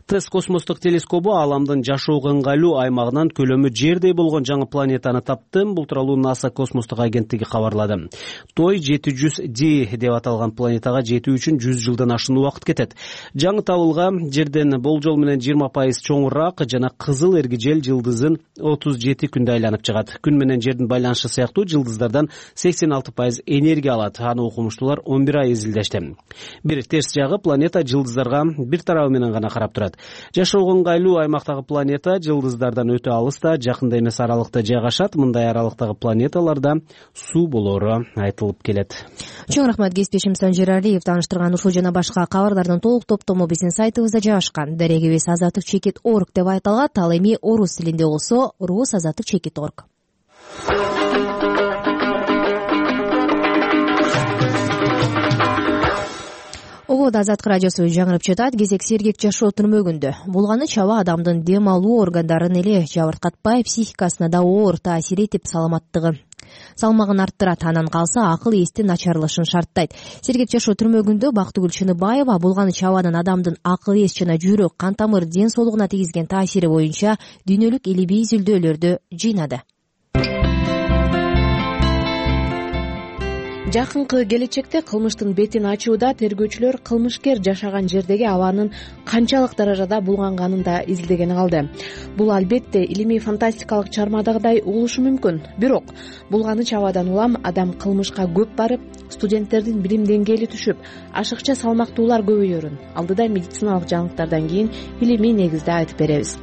ТЭСС космостук телескобу Ааламдын жашоого ыңгайлуу аймагынан көлөмү жердей болгон жаңы планетаны тапты. Бул тууралуу НАСА космостук агенттиги кабарлады. Той жети жүз ди деп аталган планетага жетүү үчүн жүз жылдан ашуун убакыт кетет. Жаңы табылга жерден болжол менен жыйырма пайыз чоңураак жана кызыл эргижел жылдызын отуз жети күндө айланып чыгат. Күн менен жердин байланышы сыяктуу жылдыздардан сексен алты пайыз энергия алат. Аны окумуштуулар он бир ай изилдешти. Бир терс жагы, планета жылдыздарга бир тарабы менен гана карап турат. Жашоого ыңгайлуу аймактагы планета жылдыздардан өтө алыста, жакында эмес аралыкта жайгашат. Мындай аралыктагы планеталарда суу болоору айтылып келет. Чоң рахмат кесиптешим Санжир Алиев. Тааныштырган ушул жана башка кабарлардын толук топтому биздин сайтыбызда жайгашкан. Дарегибиз азаттык чекит орг деп айтылат. Ал эми орус тилинде болсо рус азаттык чекит орг. Обод Азаттык радиосу жаңырып жатат. Кезек сергек жашоо түрмөгүндө. Булганы чаба адамдын дем алуу органдарын эле жабыркатпай, психикасына да оор таасир этип, саламаттыгы салмагын арттырат. Анан калса акыл эстин начарлашын шарттайт. Сергек жашоо түрмөгүндө Бактыгүл Чыныбаева булганы чабанын адамдын акыл эс жана жүрөк, кан тамыр, ден соолугуна тийгизген таасири боюнча дүйнөлүк илимий изилдөөлөрдү жыйнады. Жакынкы келечекте кылмыштын бетин ачууда тергөөчүлөр кылмышкер жашаган жердеги абанын канчалык даражада булганганын да изилдегени калды. Бул албетте илимий фантастикалык чыгармадагыдай угулушу мүмкүн. Бирок булганы чабадан улам адам кылмышка көп барып, студенттердин билим деңгээли түшүп, ашыкча салмактуулар көбөйөрүн алдыда медициналык жаңылыктардан кийин илимий негизде айтып беребиз.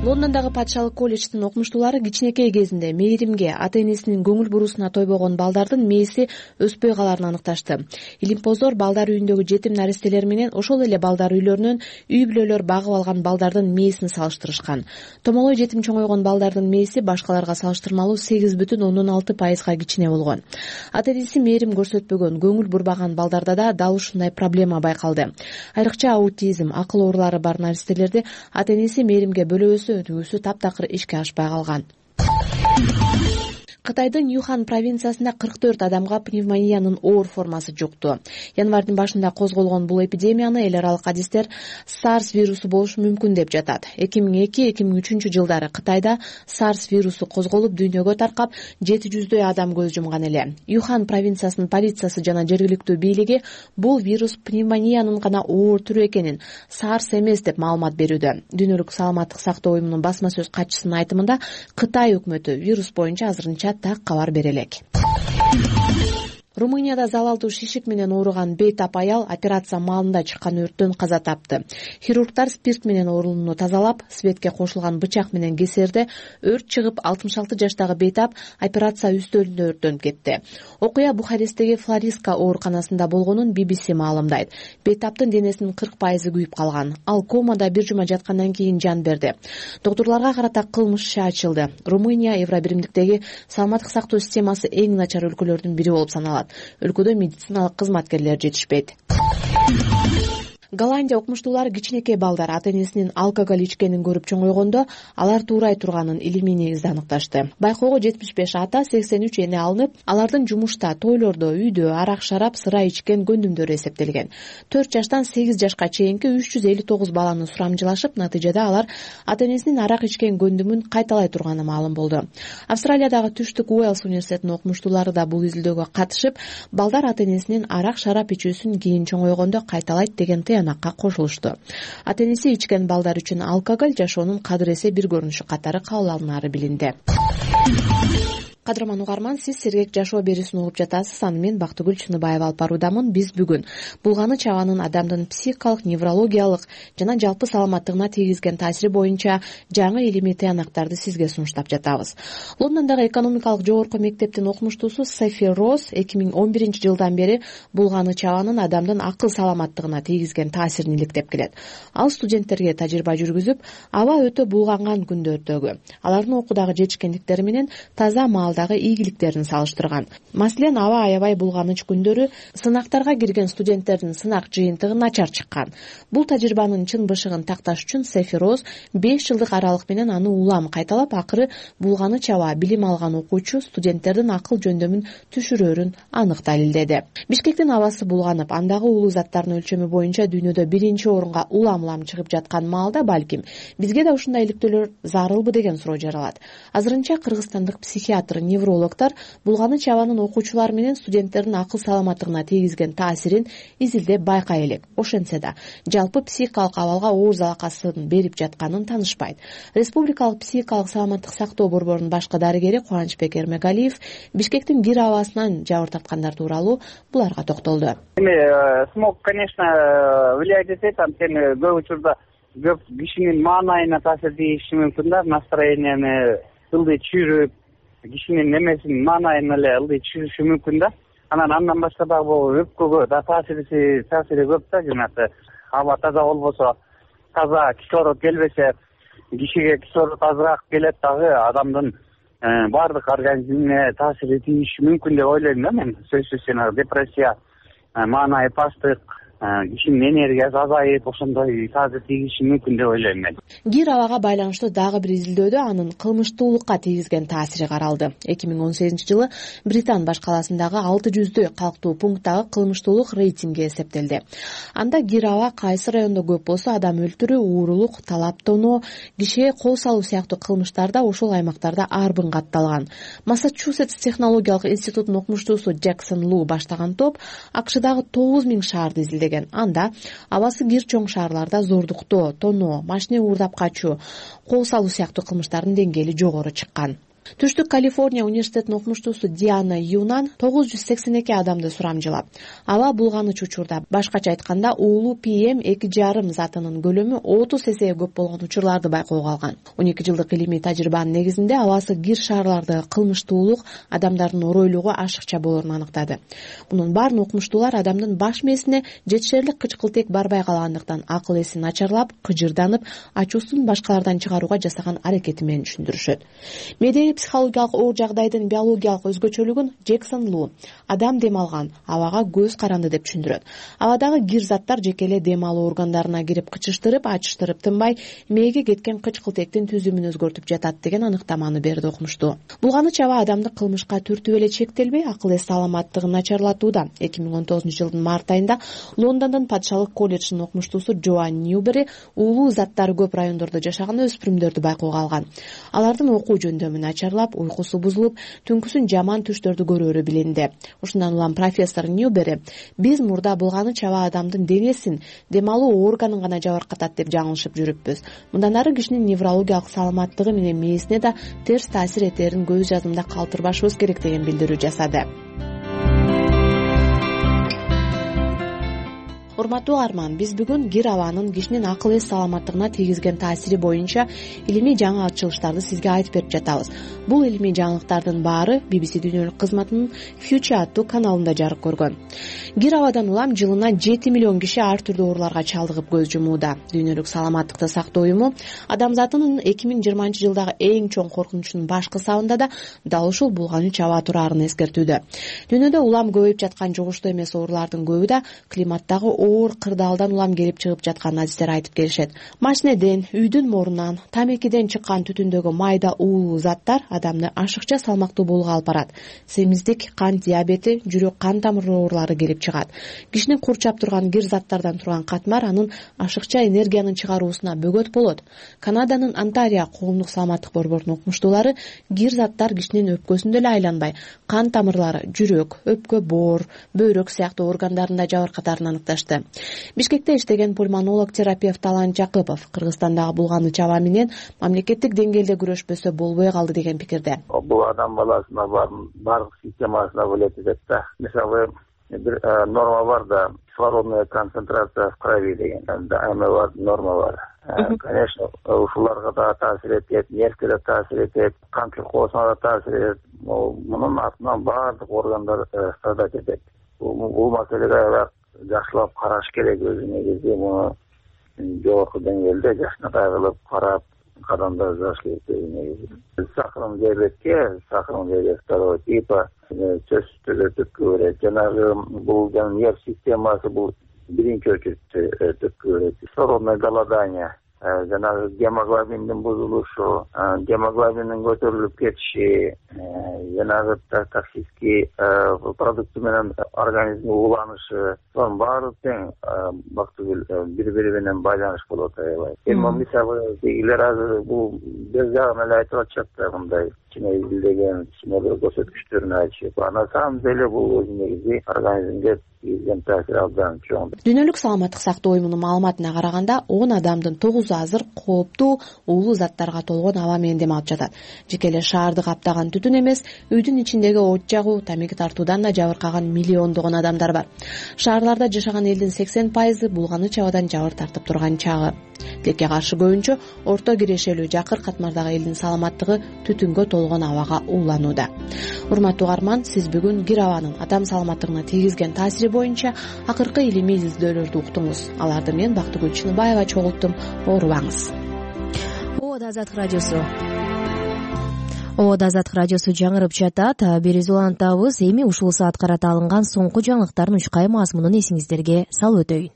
Лондондогу патшалык колледждин окумуштуулары кичинекей кезинде мээримге, ата-энесинин көңүл буруусуна тойбогон балдардын мээси өспөй калаарын аныкташты. Илимпоздор балдар үйүндөгү жетим наристелер менен ошол эле балдар үйлөрүнөн үй бүлөлөр багып алган балдардын мээсин салыштырышкан. Томолой жетим чоңойгон балдардын мээси башкаларга салыштырмалуу сегиз бүтүн ондон алты пайызга кичине болгон. Ата-энеси мээрим көрсөтпөгөн, көңүл бурбаган балдарда да дал ушундай проблема байкалды. Айрыкча аутизм, акыл оорулары бар наристелерди ата-энеси мээримге бөлөбөсө өтүүсү таптакыр ишке ашпай калган. Кытайдын Юхан провинциясында кырк төрт адамга пневмониянын оор формасы жукту. Январдын башында козголгон бул эпидемияны эл аралык адистер SARS вирусу болушу мүмкүн деп жатат. эки миң эки эки миң үчүнчү жылдары Кытайда SARS вирусу козголуп, дүйнөгө таркап, жети жүздөй адам көз жумган эле. Юхан провинциясынын полициясы жана жергиликтүү бийлиги бул вирус пневмониянын гана оор түрү экенин, SARS эмес деп маалымат берүүдө. Дүйнөлүк саламаттык сактоо уюмунун басма сөз катчысынын айтымында Кытай өкмөтү вирус боюнча азырынча так кабар бере элек. Румынияда залалдуу шишик менен ооруган бейтап аял операция маалында чыккан өрттөн каза тапты. Хирургдар спирт менен орунуну тазалап, светке кошулган бычак менен кесерде өрт чыгып, алтымыш алты жаштагы бейтап операция үстөлүндө өрттөнүп кетти. Окуя Бухаресттеги Флориска ооруканасында болгонун би би си маалымдайт. Бейтаптын денесинин кырк пайызы күйүп калган. Ал комада бир жума жаткандан кийин жан берди. Доктурларга карата кылмыш иши ачылды. Румыния Евробиримдиктеги саламаттык сактоо системасы эң начар өлкөлөрдүн бири болуп саналат. Өлкөдө медициналык кызматкерлер жетишпейт. Голландия окумуштуулары кичинекей балдар ата-энесинин алкоголь ичкенин көрүп чоңойгондо алар туурай турганын илимий негизде аныкташты. Байкоого жетимиш беш ата, сексен үч эне алынып, алардын жумушта, тойлордо, үйдө арак-шарап, сыра ичкен көндүмдөрү эсептелген. төрт жаштан сегиз жашка чейинки үч жүз элүү тогуз баланы сурамжылашып, натыйжада алар ата-энесинин арак ичкен көндүмүн кайталай турганы маалым болду. Австралиядагы Түштүк Уэльс университетинин окумуштуулары да бул изилдөөгө катышып, балдар ата-энесинин арак-шарап ичүүсүн кийин чоңойгондо кайталайт деген тыянакка кошулушту. Ата-энеси ичкен балдар үчүн алкоголь жашоонун кадыр эсе бир көрүнүшү катары кабыл алынары билинди. кадырман угарман, сиз сергек жашоо берүүсүн угуп жатасыз. Аны мен Бактыгүл Чыныбаева алып баруудамын. Биз бүгүн булганы чабанын адамдын психикалык, неврологиялык жана жалпы саламаттыгына тийгизген таасири боюнча жаңы илимий тыянактарды сизге сунуштап жатабыз. Лондондогу экономикалык жогорку мектептин окумуштуусу Софи Роз эки миң он биринчи жылдан бери булганы чабанын адамдын акыл саламаттыгына тийгизген таасирин иликтеп келет. Ал студенттерге тажрыйба жүргүзүп, аба өтө булганган күндөрдөгү алардын окуудагы жетишкендиктери менен таза маалдагы ийгиликтерин салыштырган. Маселен, аба аябай булганыч күндөрү сынактарга кирген студенттердин сынак жыйынтыгы начар чыккан. Бул тажрыйбанын чын бышыгын такташ үчүн Софи Роз беш жылдык аралык менен аны улам кайталап, акыры булганы чаба билим алган окуучу студенттердин акыл жөндөмүн түшүрөрүн анык далилдеди. Бишкектин абасы булганып, андагы уулуу заттардын өлчөмү боюнча дүйнөдө биринчи орунга улам-улам чыгып жаткан маалда балким бизге да ушундай иликтөөлөр зарылбы деген суроо жаралат. Азырынча кыргызстандык психиатр, неврологдор булганы чабанын окуучулар менен студенттердин акыл саламаттыгына тийгизген таасирин изилдеп байкай элек. Ошентсе да жалпы психикалык абалга оор залакасын берип жатканын таанышпайт. Республикалык психикалык саламаттык сактоо борборунун башкы дарыгери Кубанычбек Эрмегалиев Бишкектин бир абасынан жабыр тарткандар тууралуу буларга токтолду. Эми смог, конечно, влияет этет, анткени көп учурда көп кишинин маанайына таасир тийиши мүмкүн да, настроенияны ылдый түшүрүп, кишинин немесин маанайын эле ылдый түшүрүшү мүмкүн да. Анан андан башка дагы бул өпкөгө да таасири таасири көп да, жанагы аба таза болбосо, таза кислород келбесе, кишиге кислород азыраак келет дагы, адамдын баардык организмине таасири тийиши мүмкүн деп ойлойм да мен. Сөзсүз жанагы депрессия, маанайы пасттык, кишинин энергиясы азайып, ошондой таасир тийиши мүмкүн деп ойлойм мен. Кир абага байланыштуу дагы бир изилдөөдө анын кылмыштуулукка тийгизген таасири каралды. эки миң он сегизинчи жылы Британ баш калаасындагы алты жүздөй калктуу пункттагы кылмыштуулук рейтинги эсептелди. Анда кир аба кайсы райондо көп болсо, адам өлтүрүү, уурулук, талап тоноо, кишиге кол салуу сыяктуу кылмыштар да ошол аймактарда арбын катталган. Массачусетс технологиялык институтунун окумуштуусу Джексон Лу баштаган топ АКШдагы тогуз миң шаарды изилдеген. Анда абасы кир чоң шаарларда зордуктоо, тоноо, машина уурдап качуу, кол салуу сыяктуу кылмыштардын деңгээли жогору чыккан. Түштүк Калифорния университетинин окумуштуусу Диана Юнан тогуз жүз сексен эки адамды сурамжылап, аба булганыч учурда, башкача айтканда уулуу пи эм эки жарым затынын көлөмү отуз эсеге көп болгон учурларды байкоого алган. он эки жылдык илимий тажрыйбанын негизинде абасы кир шаарлардагы кылмыштуулук адамдардын оройлугу ашыкча болоорун аныктады. Мунун баарын окумуштуулар адамдын баш мээсине жетишерлик кычкылтек барбай калгандыктан акыл эси начарлап, кыжырданып, ачуусун башкалардан чыгарууга жасаган аракети менен түшүндүрүшөт. Медиа психологиялык оор жагдайдын биологиялык өзгөчөлүгүн Джексон Лу адам дем алган абага көз каранды деп түшүндүрөт. Абадагы кир заттар жеке эле дем алуу органдарына кирип кычыштырып, ачыштырып тынбай, мээге кеткен кычкылтектин түзүмүн өзгөртүп жатат деген аныктаманы берди окумуштуу. Булганы чаба адамды кылмышка түртүп эле чектелбей, акыл эс саламаттыгын начарлатууда. эки миң он тогузунчу жылдын март айында Лондондун Патшалык колледжинин окумуштуусу Джоан Ньюбери уулуу заттары көп райондордо жашаган өспүрүмдөрдү байкоого алган. Алардын окуу жөндөмүн начарлап, уйкусу бузулуп, түнкүсүн жаман түштөрдү көрөөрү билинди. Ушундан улам профессор Ньюбери биз мурда булганы чаба адамдын денесин, дем алуу органын гана жабыркатат деп жаңылышып жүрүппүз. Мындан ары кишинин неврологиялык саламаттыгы менен мээсине да терс таасир этерин көз жазымда калтырбашыбыз керек деген билдирүү жасады. Урматтуу угарман, биз бүгүн кир абанын кишинин акыл эс саламаттыгына тийгизген таасири боюнча илимий жаңы ачылыштарды сизге айтып берип жатабыз. Бул илимий жаңылыктардын баары би би си дүйнөлүк кызматынын Future аттуу каналында жарык көргөн. Кир абадан улам жылына жети миллион киши ар түрдүү ооруларга чалдыгып көз жумууда. Дүйнөлүк саламаттыкты сактоо уюму адамзатынын эки миң жыйырманчы жылдагы эң чоң коркунучунун башкы сабында да дал ушул булганы чаба турарын эскертүүдө. Дүйнөдө улам көбөйүп жаткан жугуштуу эмес оорулардын көбү да климаттагы оор кырдаалдан улам келип чыгып жатканын адистер айтып келишет. Машинеден, үйдүн морунан, тамекиден чыккан түтүндөгү майда уулуу заттар адамды ашыкча салмактуу болууга алып барат. Семиздик, кант диабети, жүрөк кан тамыр оорулары келип чыгат. Кишини курчап турган кир заттардан турган катмар анын ашыкча энергиянын чыгаруусуна бөгөт болот. Канаданын Онтарио коомдук саламаттык борборунун окумуштуулары кир заттар кишинин өпкөсүндө эле айланбай, кан тамырлары, жүрөк, өпкө, боор, бөйрөк сыяктуу органдарында жабыркатарын аныкташты. чыкты. Бишкекте иштеген пульмонолог терапевт Талан Жакыпов Кыргызстандагы булганы чаба менен мамлекеттик деңгээлде күрөшпөсө болбой калды деген пикирде. Бул адам баласына бардык системасына бөлөт этет да. Мисалы бир норма бар да, кислородная концентрация в крови деген эме бар, норма бар. Конечно, ушуларга да таасир этет, нервге да таасир этет, кан циркозуна да таасир этет. Мунун артынан баардык органдар страдать этет. Бул маселеге жакшылап караш керек. Өзү негизи муну жогорку деңгээлде жакшынакай кылып карап кадамдар жасаш керек өзү негизи. Сахарный диабетке, сахарный диабет второго типа чөч түзө түпкү берет. Жанагы бул нерв системасы бул биринчи очередте түпкү берет. Кислородное голодание, жанагы гемоглобиндин бузулушу, гемоглобиндин көтөрүлүп кетиши, жанагы токсический продукты менен организмге уланышы, сонун баары тең бактыгүл бири бири менен байланыш болот аябай. Эми мисалы дегилер азыр бул бир жагын эле айтып атышат да, мындай кичине изилдеген, кичине бир көрсөткүчтөрүн айтышып. А на самом деле бул өзү негизи организмге тийген таасир абдан чоң. Дүйнөлүк саламаттык сактоо уюмунун маалыматына караганда, он адамдын тогузу азыр кооптуу уулуу заттарга толгон аба менен дем алып жатат. Жеке эле шаарды каптаган түтүн эмес, үйдүн ичиндеги от жагуу, тамеки тартуудан да жабыркаган миллиондогон адамдар бар. Шаарларда жашаган элдин сексен пайызы булганы чабадан жабыр тартып турган чагы. Тилекке каршы көбүнчө орто кирешелүү жакыр катмардагы элдин саламаттыгы түтүнгө толгон абага ууланууда. Урматтуу угарман, сиз бүгүн кир абанын адам саламаттыгына тийгизген таасири боюнча акыркы илимий изилдөөлөрдү уктуңуз. Аларды мен Бактыгүл Чыныбаева чогулттум. Оорубаңыз. Оода Азаттык радиосу. Оода Азаттык радиосу жаңырып жатат. Бериз улантабыз. Эми ушул саат карата алынган соңку жаңылыктардын учкай мазмунун эсиңиздерге салып өтөйүн.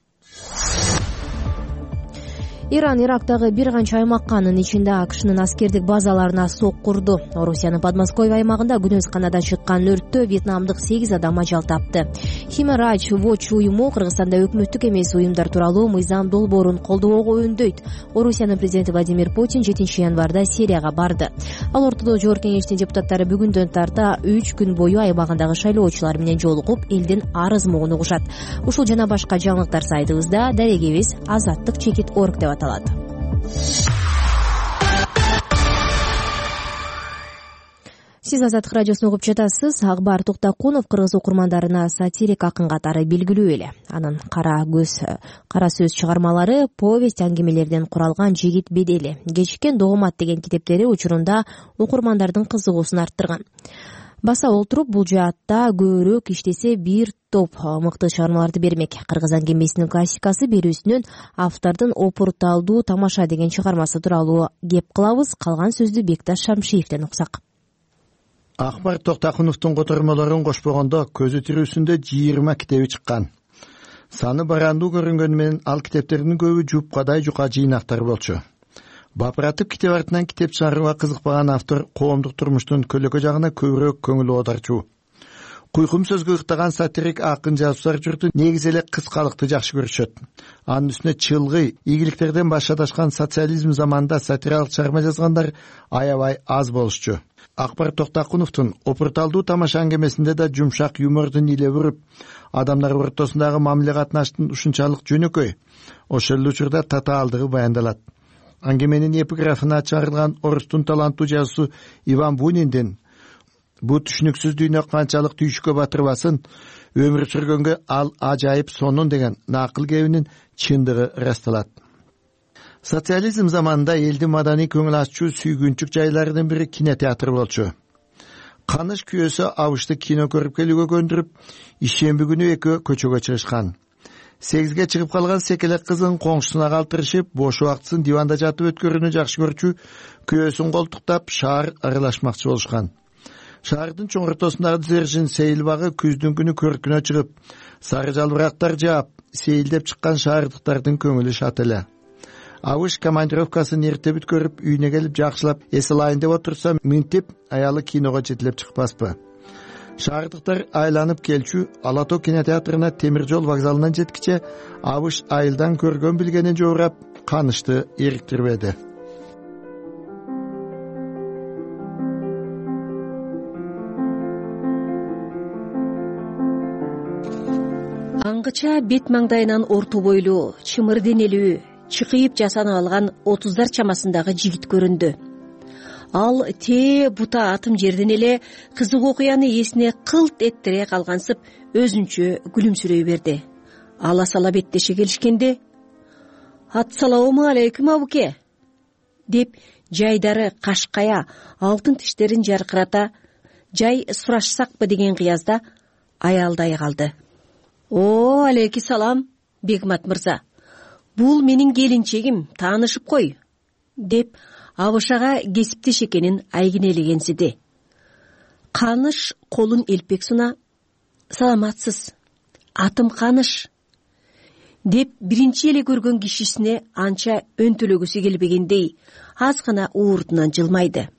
Иран Ирактагы бир канча аймакка, анын ичинде АКШнын аскердик базаларына сок курду. Орусиянын Подмосковье аймагында күнөз канада чыккан өрттө вьетнамдык сегиз адам ажал тапты. Human Rights Watch уюму Кыргызстанда өкмөттүк эмес уюмдар тууралуу мыйзам долбоорун колдоого үндөйт. Орусиянын президенти Владимир Путин жетинчи январда Сирияга барды. Ал ортодо Жогорку Кеңештин депутаттары бүгүндөн тарта үч күн бою аймагындагы шайлоочулар менен жолугуп, элдин арыз мугун угушат. Ушул жана башка жаңылыктар сайтыбызда, дарегибиз азаттык чекит точка орг деп аталат. Сиз Азаттык радиосун угуп жатасыз. Акбар Токтокунов кыргыз окурмандарына сатирик акын катары белгилүү эле. Анын кара көз, кара сөз чыгармалары, повесть, аңгемелерден куралган Жигит бедели, Кечиккен Догомат деген китептери учурунда окурмандардын кызыгуусун арттырган. Баса олтуруп бул жаатта көбүрөөк иштесе бир топ мыкты чыгармаларды бермек. Кыргыз аңгемесинин классикасы берүүсүнөн автордун Опурталдуу тамаша деген чыгармасы тууралуу кеп кылабыз. Калган сөздү Бекташ Шамшиевден уксак. Акбар Токтокуновдун котормолорун кошпогондо көзү тирүүсүндө жыйырма китеби чыккан. Саны барандуу көрүнгөнү менен ал китептердин көбү жупкадай жука жыйнактар болчу. Бапыратып китеп артынан китеп чыгарууга кызыкпаган автор коомдук турмуштун көлөкө жагына көбүрөөк көңүл оодарчу. Куйкум сөзгө ыктаган сатирик акын жазуучулар журту негизи эле кыскалыкты жакшы көрүшөт. Анын үстүнө чылгый, ийгиликтерден баш адашкан социализм заманында сатиралык чыгарма жазгандар аябай аз болушчу. Акбар Токтокуновдун Опурталдуу тамаша аңгемесинде да жумшак юмордун иле буруп, адамдар ортосундагы мамиле катнаштын ушунчалык жөнөкөй, ошол эле учурда татаалдыгы баяндалат. Аңгеменин эпиграфына чыгарылган орустун таланттуу жазуучусу Иван Буниндин бу түшүнүксүз дүйнө канчалык түйшүккө батырбасын, өмүр сүргөнгө ал ажайып сонун деген накыл кебинин чындыгы ырасталат. Социализм заманында элдин маданий көңүл аччуу сүйгүнчүк жайларынын бири кинотеатр болчу. Каныш күйөөсү абышты кино көрүп келүүгө көндүрүп, ишемби күнү экөө көчөгө чыгышкан. Сегизге чыгып калган секелек кызын коңшусуна калтырышып, бош убактысын диванда жатып өткөрүүнү жакшы көрчү күйөөсүн колтуктап шаар аралашмакчы болушкан. Шаардын чоң ортосундагы Дзержин сейил багы күздүн күнү көркүнө чыгып, сары жалбырактар жаап, сейилдеп чыккан шаардыктардын көңүлү шат эле. Абыш командировкасын эрте бүткөрүп, үйүнө келип жакшылап эс алайын деп отурса, минтип аялы киного жетелеп чыкпаспы. Шаардыктар айланып келчү Ала Тоо кинотеатрына темир жол вокзалынан жеткиче Абыш айылдан көргөн билгенин жоорап, канышты эриктирбеди. аңгыча бет маңдайынан орто бойлуу, чымыр денелүү, чыкыйып жасанып алган отуздар чамасындагы жигит көрүндү. Ал тээ бута атым жерден эле кызык окуяны эсине кылт эттире калгансып өзүнчө күлүмсүрөй берди. Ала сала беттеше келишкенде «Ассалому алейкум абуке» деп жайдары кашкая алтын тиштерин жаркырата жай сурашсакпы деген кыязда аялдай калды. «О, алейки салам, Бегмат мырза. Бул менин келинчегим, таанышып кой» деп Абышага кесиптеш экенин айгинелегенсиди. Каныш колун элпек суна «Саламатсыз, атым Каныш» деп биринчи эле көргөн кишисине анча өнтөлөгүсү келбегендей аз гана уурдунан жылмайды.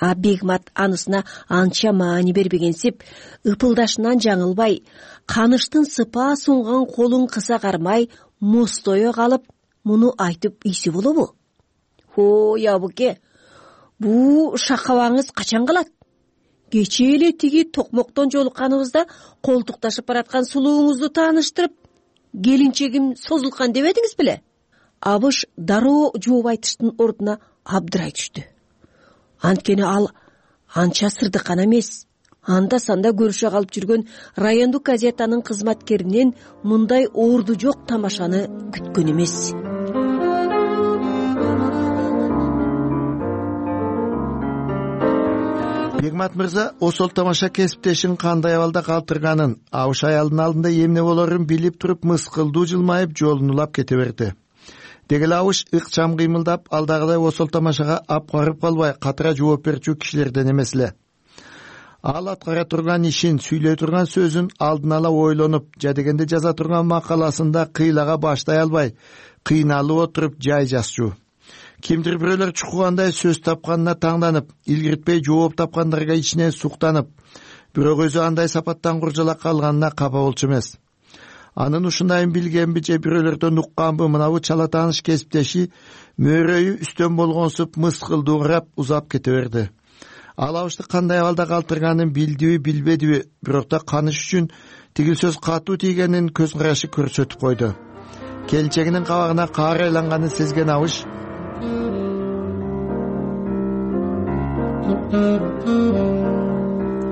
А Бегмат анысына анча маани бербегенсип, ыпылдашынан жаңылбай, Каныштын сыпаа сунган колун кыса кармай мостое калып, муну айтып ийсе болобу? «Ой, абуке, бу шакабаңыз качан калат? Кечээ эле тиги токмоктон жолукканыбызда колтукташып бараткан сулууңузду тааныштырып, келинчегим созулган дебедиңиз беле?» Абыш дароо жооп айтыштын ордуна абдырай түштү. Анткени ал анча сырдыккан эмес. Анда-санда көрүшө калып жүргөн райондук газетанын кызматкеринен мындай орду жок тамашаны күткөн эмес. Бегмат мырза осол тамаша кесиптешин кандай абалда калтырганын, Абыш аялдын алдында эмне болорун билип туруп мыскылдуу жылмайып жолун улап кете берди. Дегеле Абыш ыкчам кыймылдап алдагыдай осол тамашага апкарып калбай катыра жооп берчү кишилерден эмес эле. Ал аткара турган ишин, сүйлөй турган сөзүн алдын ала ойлонуп, жадегенде жаза турган макаласында кыйлага баштай албай, кыйналып отуруп жай жазчу. Кимдир бирөөлөр чукугандай сөз тапканына таңданып, илгиртпей жооп тапкандарга ичинен суктанып, бирок өзү андай сапаттан куржалак калганына капа болчу эмес. Анын ушундайын билгенби же бирөөлөрдөн укканбы, мынабу чала тааныш кесиптеши мөөрөйү үстөн болгонсуп мыскылдуу карап узап кете берди. Ал Абышты кандай абалда калтырганын билдиби, билбедиби, бирок да Каныш үчүн тигил сөз катуу тийгенин көз карашы көрсөтүп койду. Келинчегинин кабагына каар айланганын сезген Абыш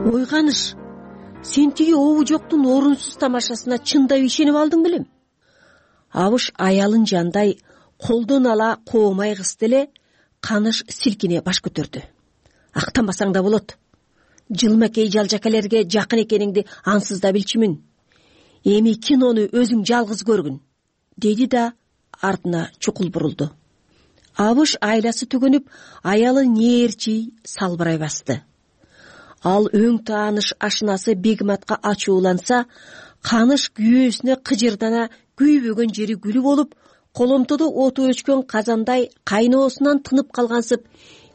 «Ой Каныш, сен тиги обу жоктун орунсуз тамашасына чындап ишенип алдың белем?» Абыш аялын жандай колдон ала коомай кысты эле. Каныш силкине баш көтөрдү. «Актанбасаң да болот. Жылмакей жалжакелерге жакын экениңди ансыз да билчүмүн. Эми кинону өзүң жалгыз көргүн» деди да артына чукул бурулду. Абыш айласы түгөнүп, аялы нээрчи салбырай басты. Ал өң тааныш ашынасы Бегматка ачууланса, Каныш күйөөсүнө кыжырдана күйбөгөн жери күлү болуп, коломтодо оту өчкөн казандай кайноосунан тынып калгансып,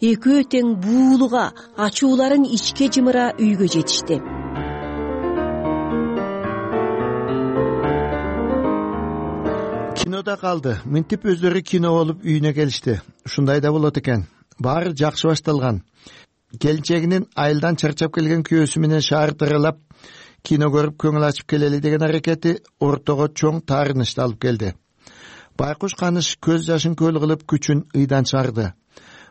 экөө тең буулуга ачууларын ичке жымыра үйгө жетишти. Кинода калды. Мынтип өздөрү кино болуп үйүнө келишти. Ушундай да болот экен. Баары жакшы башталган. Келинчегинин айылдан чарчап келген күйөөсү менен шаарды аралап кино көрүп көңүл ачып келели деген аракети ортого чоң таарынычты алып келди. Байкуш Каныш көз жашын көл кылып күчүн ыйдан чыгарды.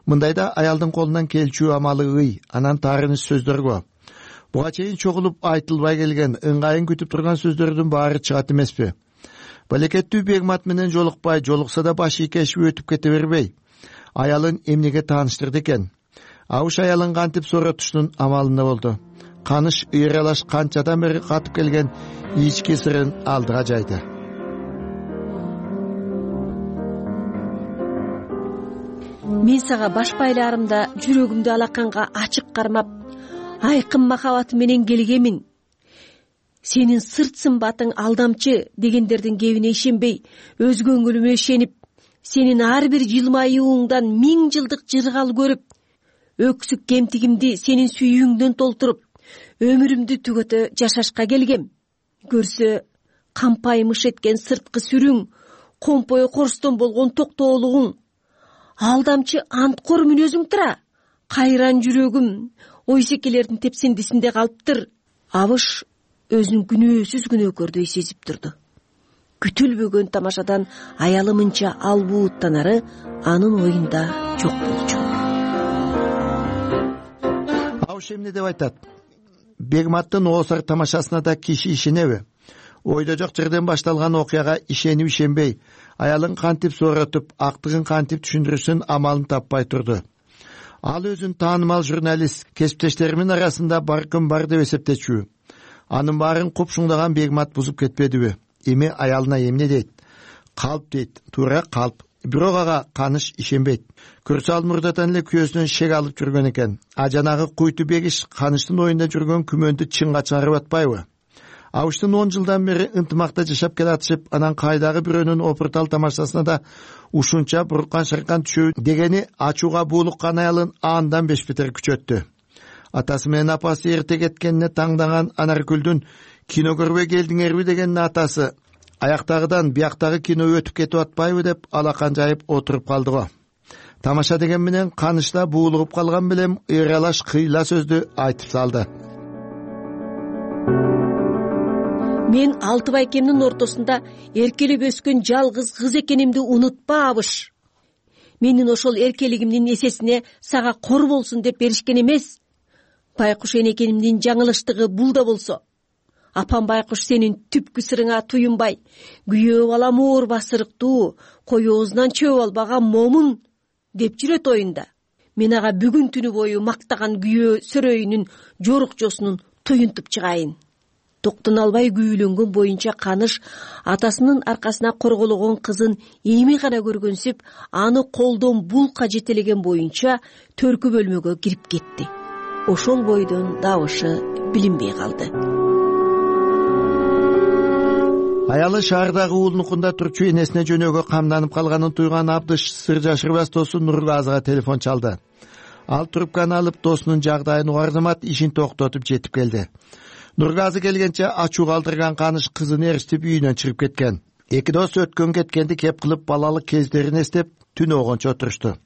Мындайда аялдын колунан келчү амалы ый, анан таарыныч сөздөргө. Буга чейин чогулуп айтылбай келген, ыңгайын күтүп турган сөздөрдүн баары чыгат эмеспи? Балекеттүү Бегмат менен жолукпай, жолукса да баш ийкешип өтүп кете бербей, аялын эмнеге тааныштырды экен? Абыш аялын кантип сооротуштун амалында болду. Каныш ыйралаш канчадан бери катып келген ички сырын алдыга жайды. «Мен сага баш байлаарымда жүрөгүмдү алаканга ачык кармап, айкын махабаты менен келгемин. Сенин сырт сымбатың алдамчы дегендердин кебине ишенбей, өз көңүлүмө ишенип, сенин ар бир жылмаюуңдан миң жылдык жыргал көрүп, өксүк кемтигимди сенин сүйүүңдөн толтуруп, өмүрүмдү түгөтө жашашка келгем. Көрсө кампаймыш эткен сырткы сүрүң, компой корстон болгон токтоолугуң, алдамчы анткор мүнөзүң тура, кайран жүрөгүм ойсекелердин тепсиндисинде калыптыр. Абыш өзүн күнөөсүз күнөөкөрдөй сезип турду. Күтүлбөгөн тамашадан аялы мынча албууттанары анын оюнда жок болчу. Абыш эмне деп айтат? Бегматтын Оосар тамашасына да киши ишенеби? Ойдо жок жерден башталган окуяга ишенип ишенбей, аялын кантип сооротуп, актыгын кантип түшүндүрүшүн амалын таппай турду. Ал өзүн таанымал журналист, кесиптештеримин арасында бар күн бар деп эсептечү. Анын баарын купшуңдаган Бегмат бузуп кетпедиби? Эми аялына эмне дейт? Калп дейт, туура калп. Бирок ага Каныш ишенбейт. Көрсө ал мурдатан эле күйөөсүнөн шек алып жүргөн экен. А жанагы куйту Бегиш Каныштын оюнда жүргөн күмөндү чынга чыгарып атпайбы? Абыштын он жылдан бери ынтымакта жашап келатышып, анан кайдагы бирөөнүн опуртал тамашасына да ушунча буркан шаркан түшөбү дегени ачууга буулуккан аялын андан беш бетер күчөттү. Атасы менен апасы эрте кеткенине таңдаган Анаркүлдүн кино көрбөй келдиңерби деген атасы аяктагыдан бияктагы кино өтүп кетип атпайбы деп алакан жайып отуруп калды го. Тамаша деген менен Канышта буулугуп калган белем ыйралаш кыйла сөздү айтып салды. Мен алты байкемдин ортосунда эркелеп өскөн жалгыз кыз экенимди унутпа, Абыш. Менин ошол эркелигимдин эсесине сага кор болсун деп беришкен эмес. Байкуш энекенимдин жаңылыштыгы бул да болсо. Апам Байкуш сенин түпкү сырыңа туюнбай, күйөө балам оор басырыктуу, коёозунан чөп албаган момун деп жүрөт оюнда. Мен ага бүгүн түнү бою мактаган күйөө сөрөйүнүн жорукчосунун туюнтуп чыгайын. Токтон албай күйүлөнгөн боюнча Каныш атасынын аркасына коргологон кызын эми гана көргөнсүп, аны колдон булка жетелеген боюнча төркү бөлмөгө кирип кетти. Ошол бойдон дабышы билинбей калды. Аялы шаардагы уулунукунда турчу энесине жөнөөгө камданып калганын туйган Абдыш сыр жашырбас досу Нургазыга телефон чалды. Ал трубканы алып досунун жагдайын угардымат, ишин токтотуп жетип келди. Нургазы келгенче ачуу калтырган Каныш кызын эричтип үйүнөн чыгып кеткен. Эки дос өткөн кеткенди кеп кылып балалык кездерин эстеп түн огончо отурушту.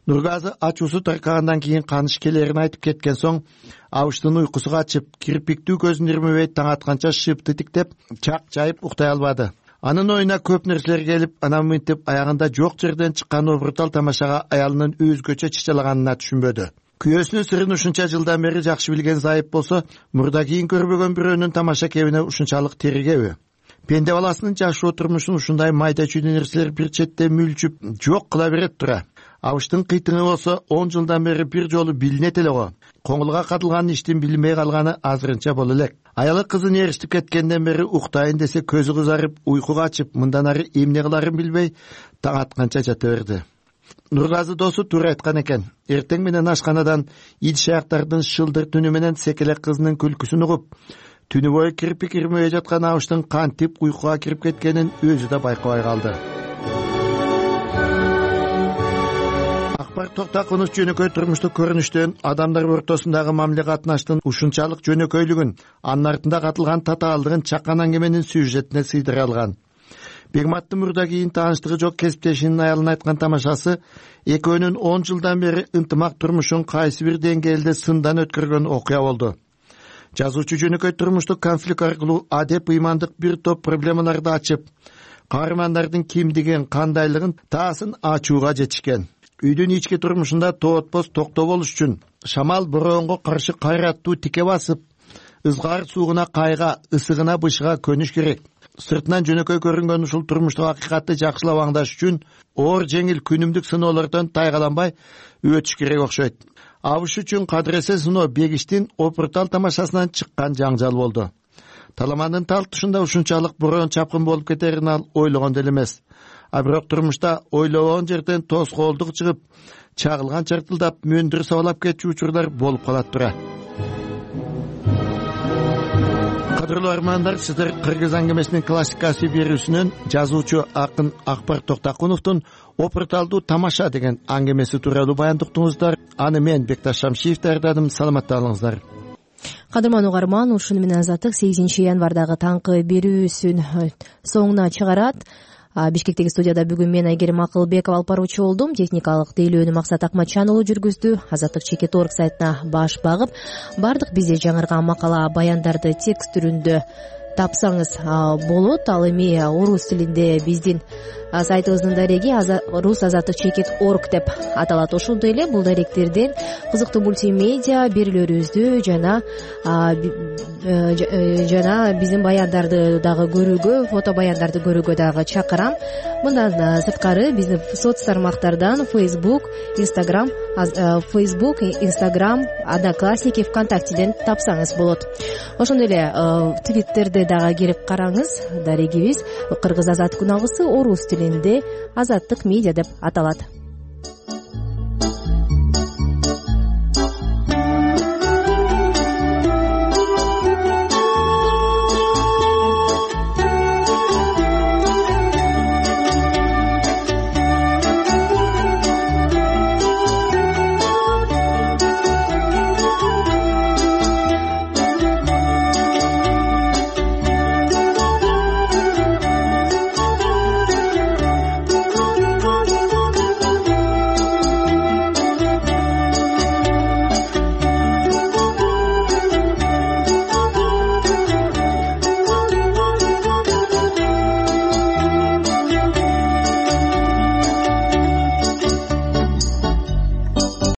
Нургазы ачуусу таркагандан кийин Каныш келерин айтып кеткен соң Абыштын уйкусу качып, кирпиктүү көзүн ирмебей таң атканча шыпты тиктеп, чак жайып уктай албады. Анын оюна көп нерселер келип, анан мынтип аягында жок жерден чыккан обуртал тамашага аялынын өзгөчө чычалаганына түшүнбөдү. Күйөөсүнүн сырын ушунча жылдан бери жакшы билген Зайып болсо, мурда кийин көрбөгөн бирөөнүн тамаша кебине ушунчалык теригеби? Пенде баласынын жашоо турмушун ушундай майда чүйдө нерселер бир четте мүлчүп жок кыла берет тура. Абыштын кыйтыгы болсо он жылдан бери бир жолу билинет эле го. Коңулга катылган иштин билинбей калганы азырынча боло элек. Аялы кызын эричтип кеткенден бери уктайын десе көзү кызарып, уйку качып, мындан ары эмне кыларын билбей таң атканча жата берди. Нургазы досу туура айткан экен. Эртең менен ашканадан идиш аяктардын шылдыр түнү менен секелек кызынын күлкүсүн угуп, түнү бою кирпик ирмей жаткан Абыштын кантип уйкуга кирип кеткенин өзү да байкабай калды. Акбар Токтакунов жөнөкөй турмуштук көрүнүштөн адамдар ортосундагы мамиле катнаштын ушунчалык жөнөкөйлүгүн, анын артында катылган татаалдыгын чакан аңгеменин сюжетине сыйдыра алган. Бегматтын мурда кийин тааныштыгы жок кесиптешинин аялына айткан тамашасы экөөнүн он жылдан бери ынтымак турмушун кайсы бир деңгээлде сындан өткөргөн окуя болду. Жазуучу жөнөкөй турмуштук конфликт аркылуу адеп ыймандык бир топ проблемаларды ачып, каармандардын кимдигин, кандайлыгын таасын ачууга жетишкен. Үйдүн ички турмушунда тоотпос токтоо болуш үчүн шамал бороонго каршы кайраттуу тике басып, ызгаар суугуна кайга, ысыгына бышыга көнүш керек. Сыртынан жөнөкөй көрүнгөн ушул турмуштук акыйкатты жакшылап аңдаш үчүн оор жеңил күнүмдүк сыноолордон тайгаланбай өтүш керек окшойт. Абыш үчүн кадыресе сыноо Бегиштин опуртал тамашасынан чыккан жаңжал болду. Таламандын талтышында ушунчалык бороон чапкын болуп кетерин ал ойлогон деле эмес. А бирок турмушта ойлобогон жерден тоскоолдук чыгып, чагылган чартылдап мөндүр сабалап кетчү учурлар болуп калат тура. Кадырлуу армандар, сиздер Кыргыз аңгемесинин классикасы берүүсүнөн жазуучу акын Акбар Токтакуновдун опурталдуу тамаша деген аңгемеси тууралуу баяндыктыңыздар. Аны мен Бекташ Шамшиев даярдадым. Саламатта болуңуздар. Кадырман угарман, ушуну менен Азаттык сегизинчи январдагы таңкы берүүсүн соңуна чыгарат. Бишкектеги студияда бүгүн мен Айгерим Акылбекова алып баруучу болдум. Техникалык тейлөөнү Максат Акматжан уулу жүргүздү. Азаттык чекит орг сайтына баш багып, бардык бизде жаңырган макала, баяндарды текст түрүндө тапсаңыз болот. Ал эми орус тилинде биздин сайтыбыздын дареги рус азаттык чекит орг деп аталат. Ошондой эле бул даректерден кызыктуу мультимедиа берүүлөрүбүздү жана жана биздин баяндарды дагы көрүүгө, фото баяндарды көрүүгө дагы чакырам. Мындан сырткары биздин соц тармактардан Facebook, Instagram, Facebook, Instagram, Одноклассники, ВКонтактеден тапсаңыз болот. Ошондой эле Twitterде дагы кирип караңыз. Дарегибиз кыргыз азаттык үн алгысы орус тилинде азаттык медиа деп аталат.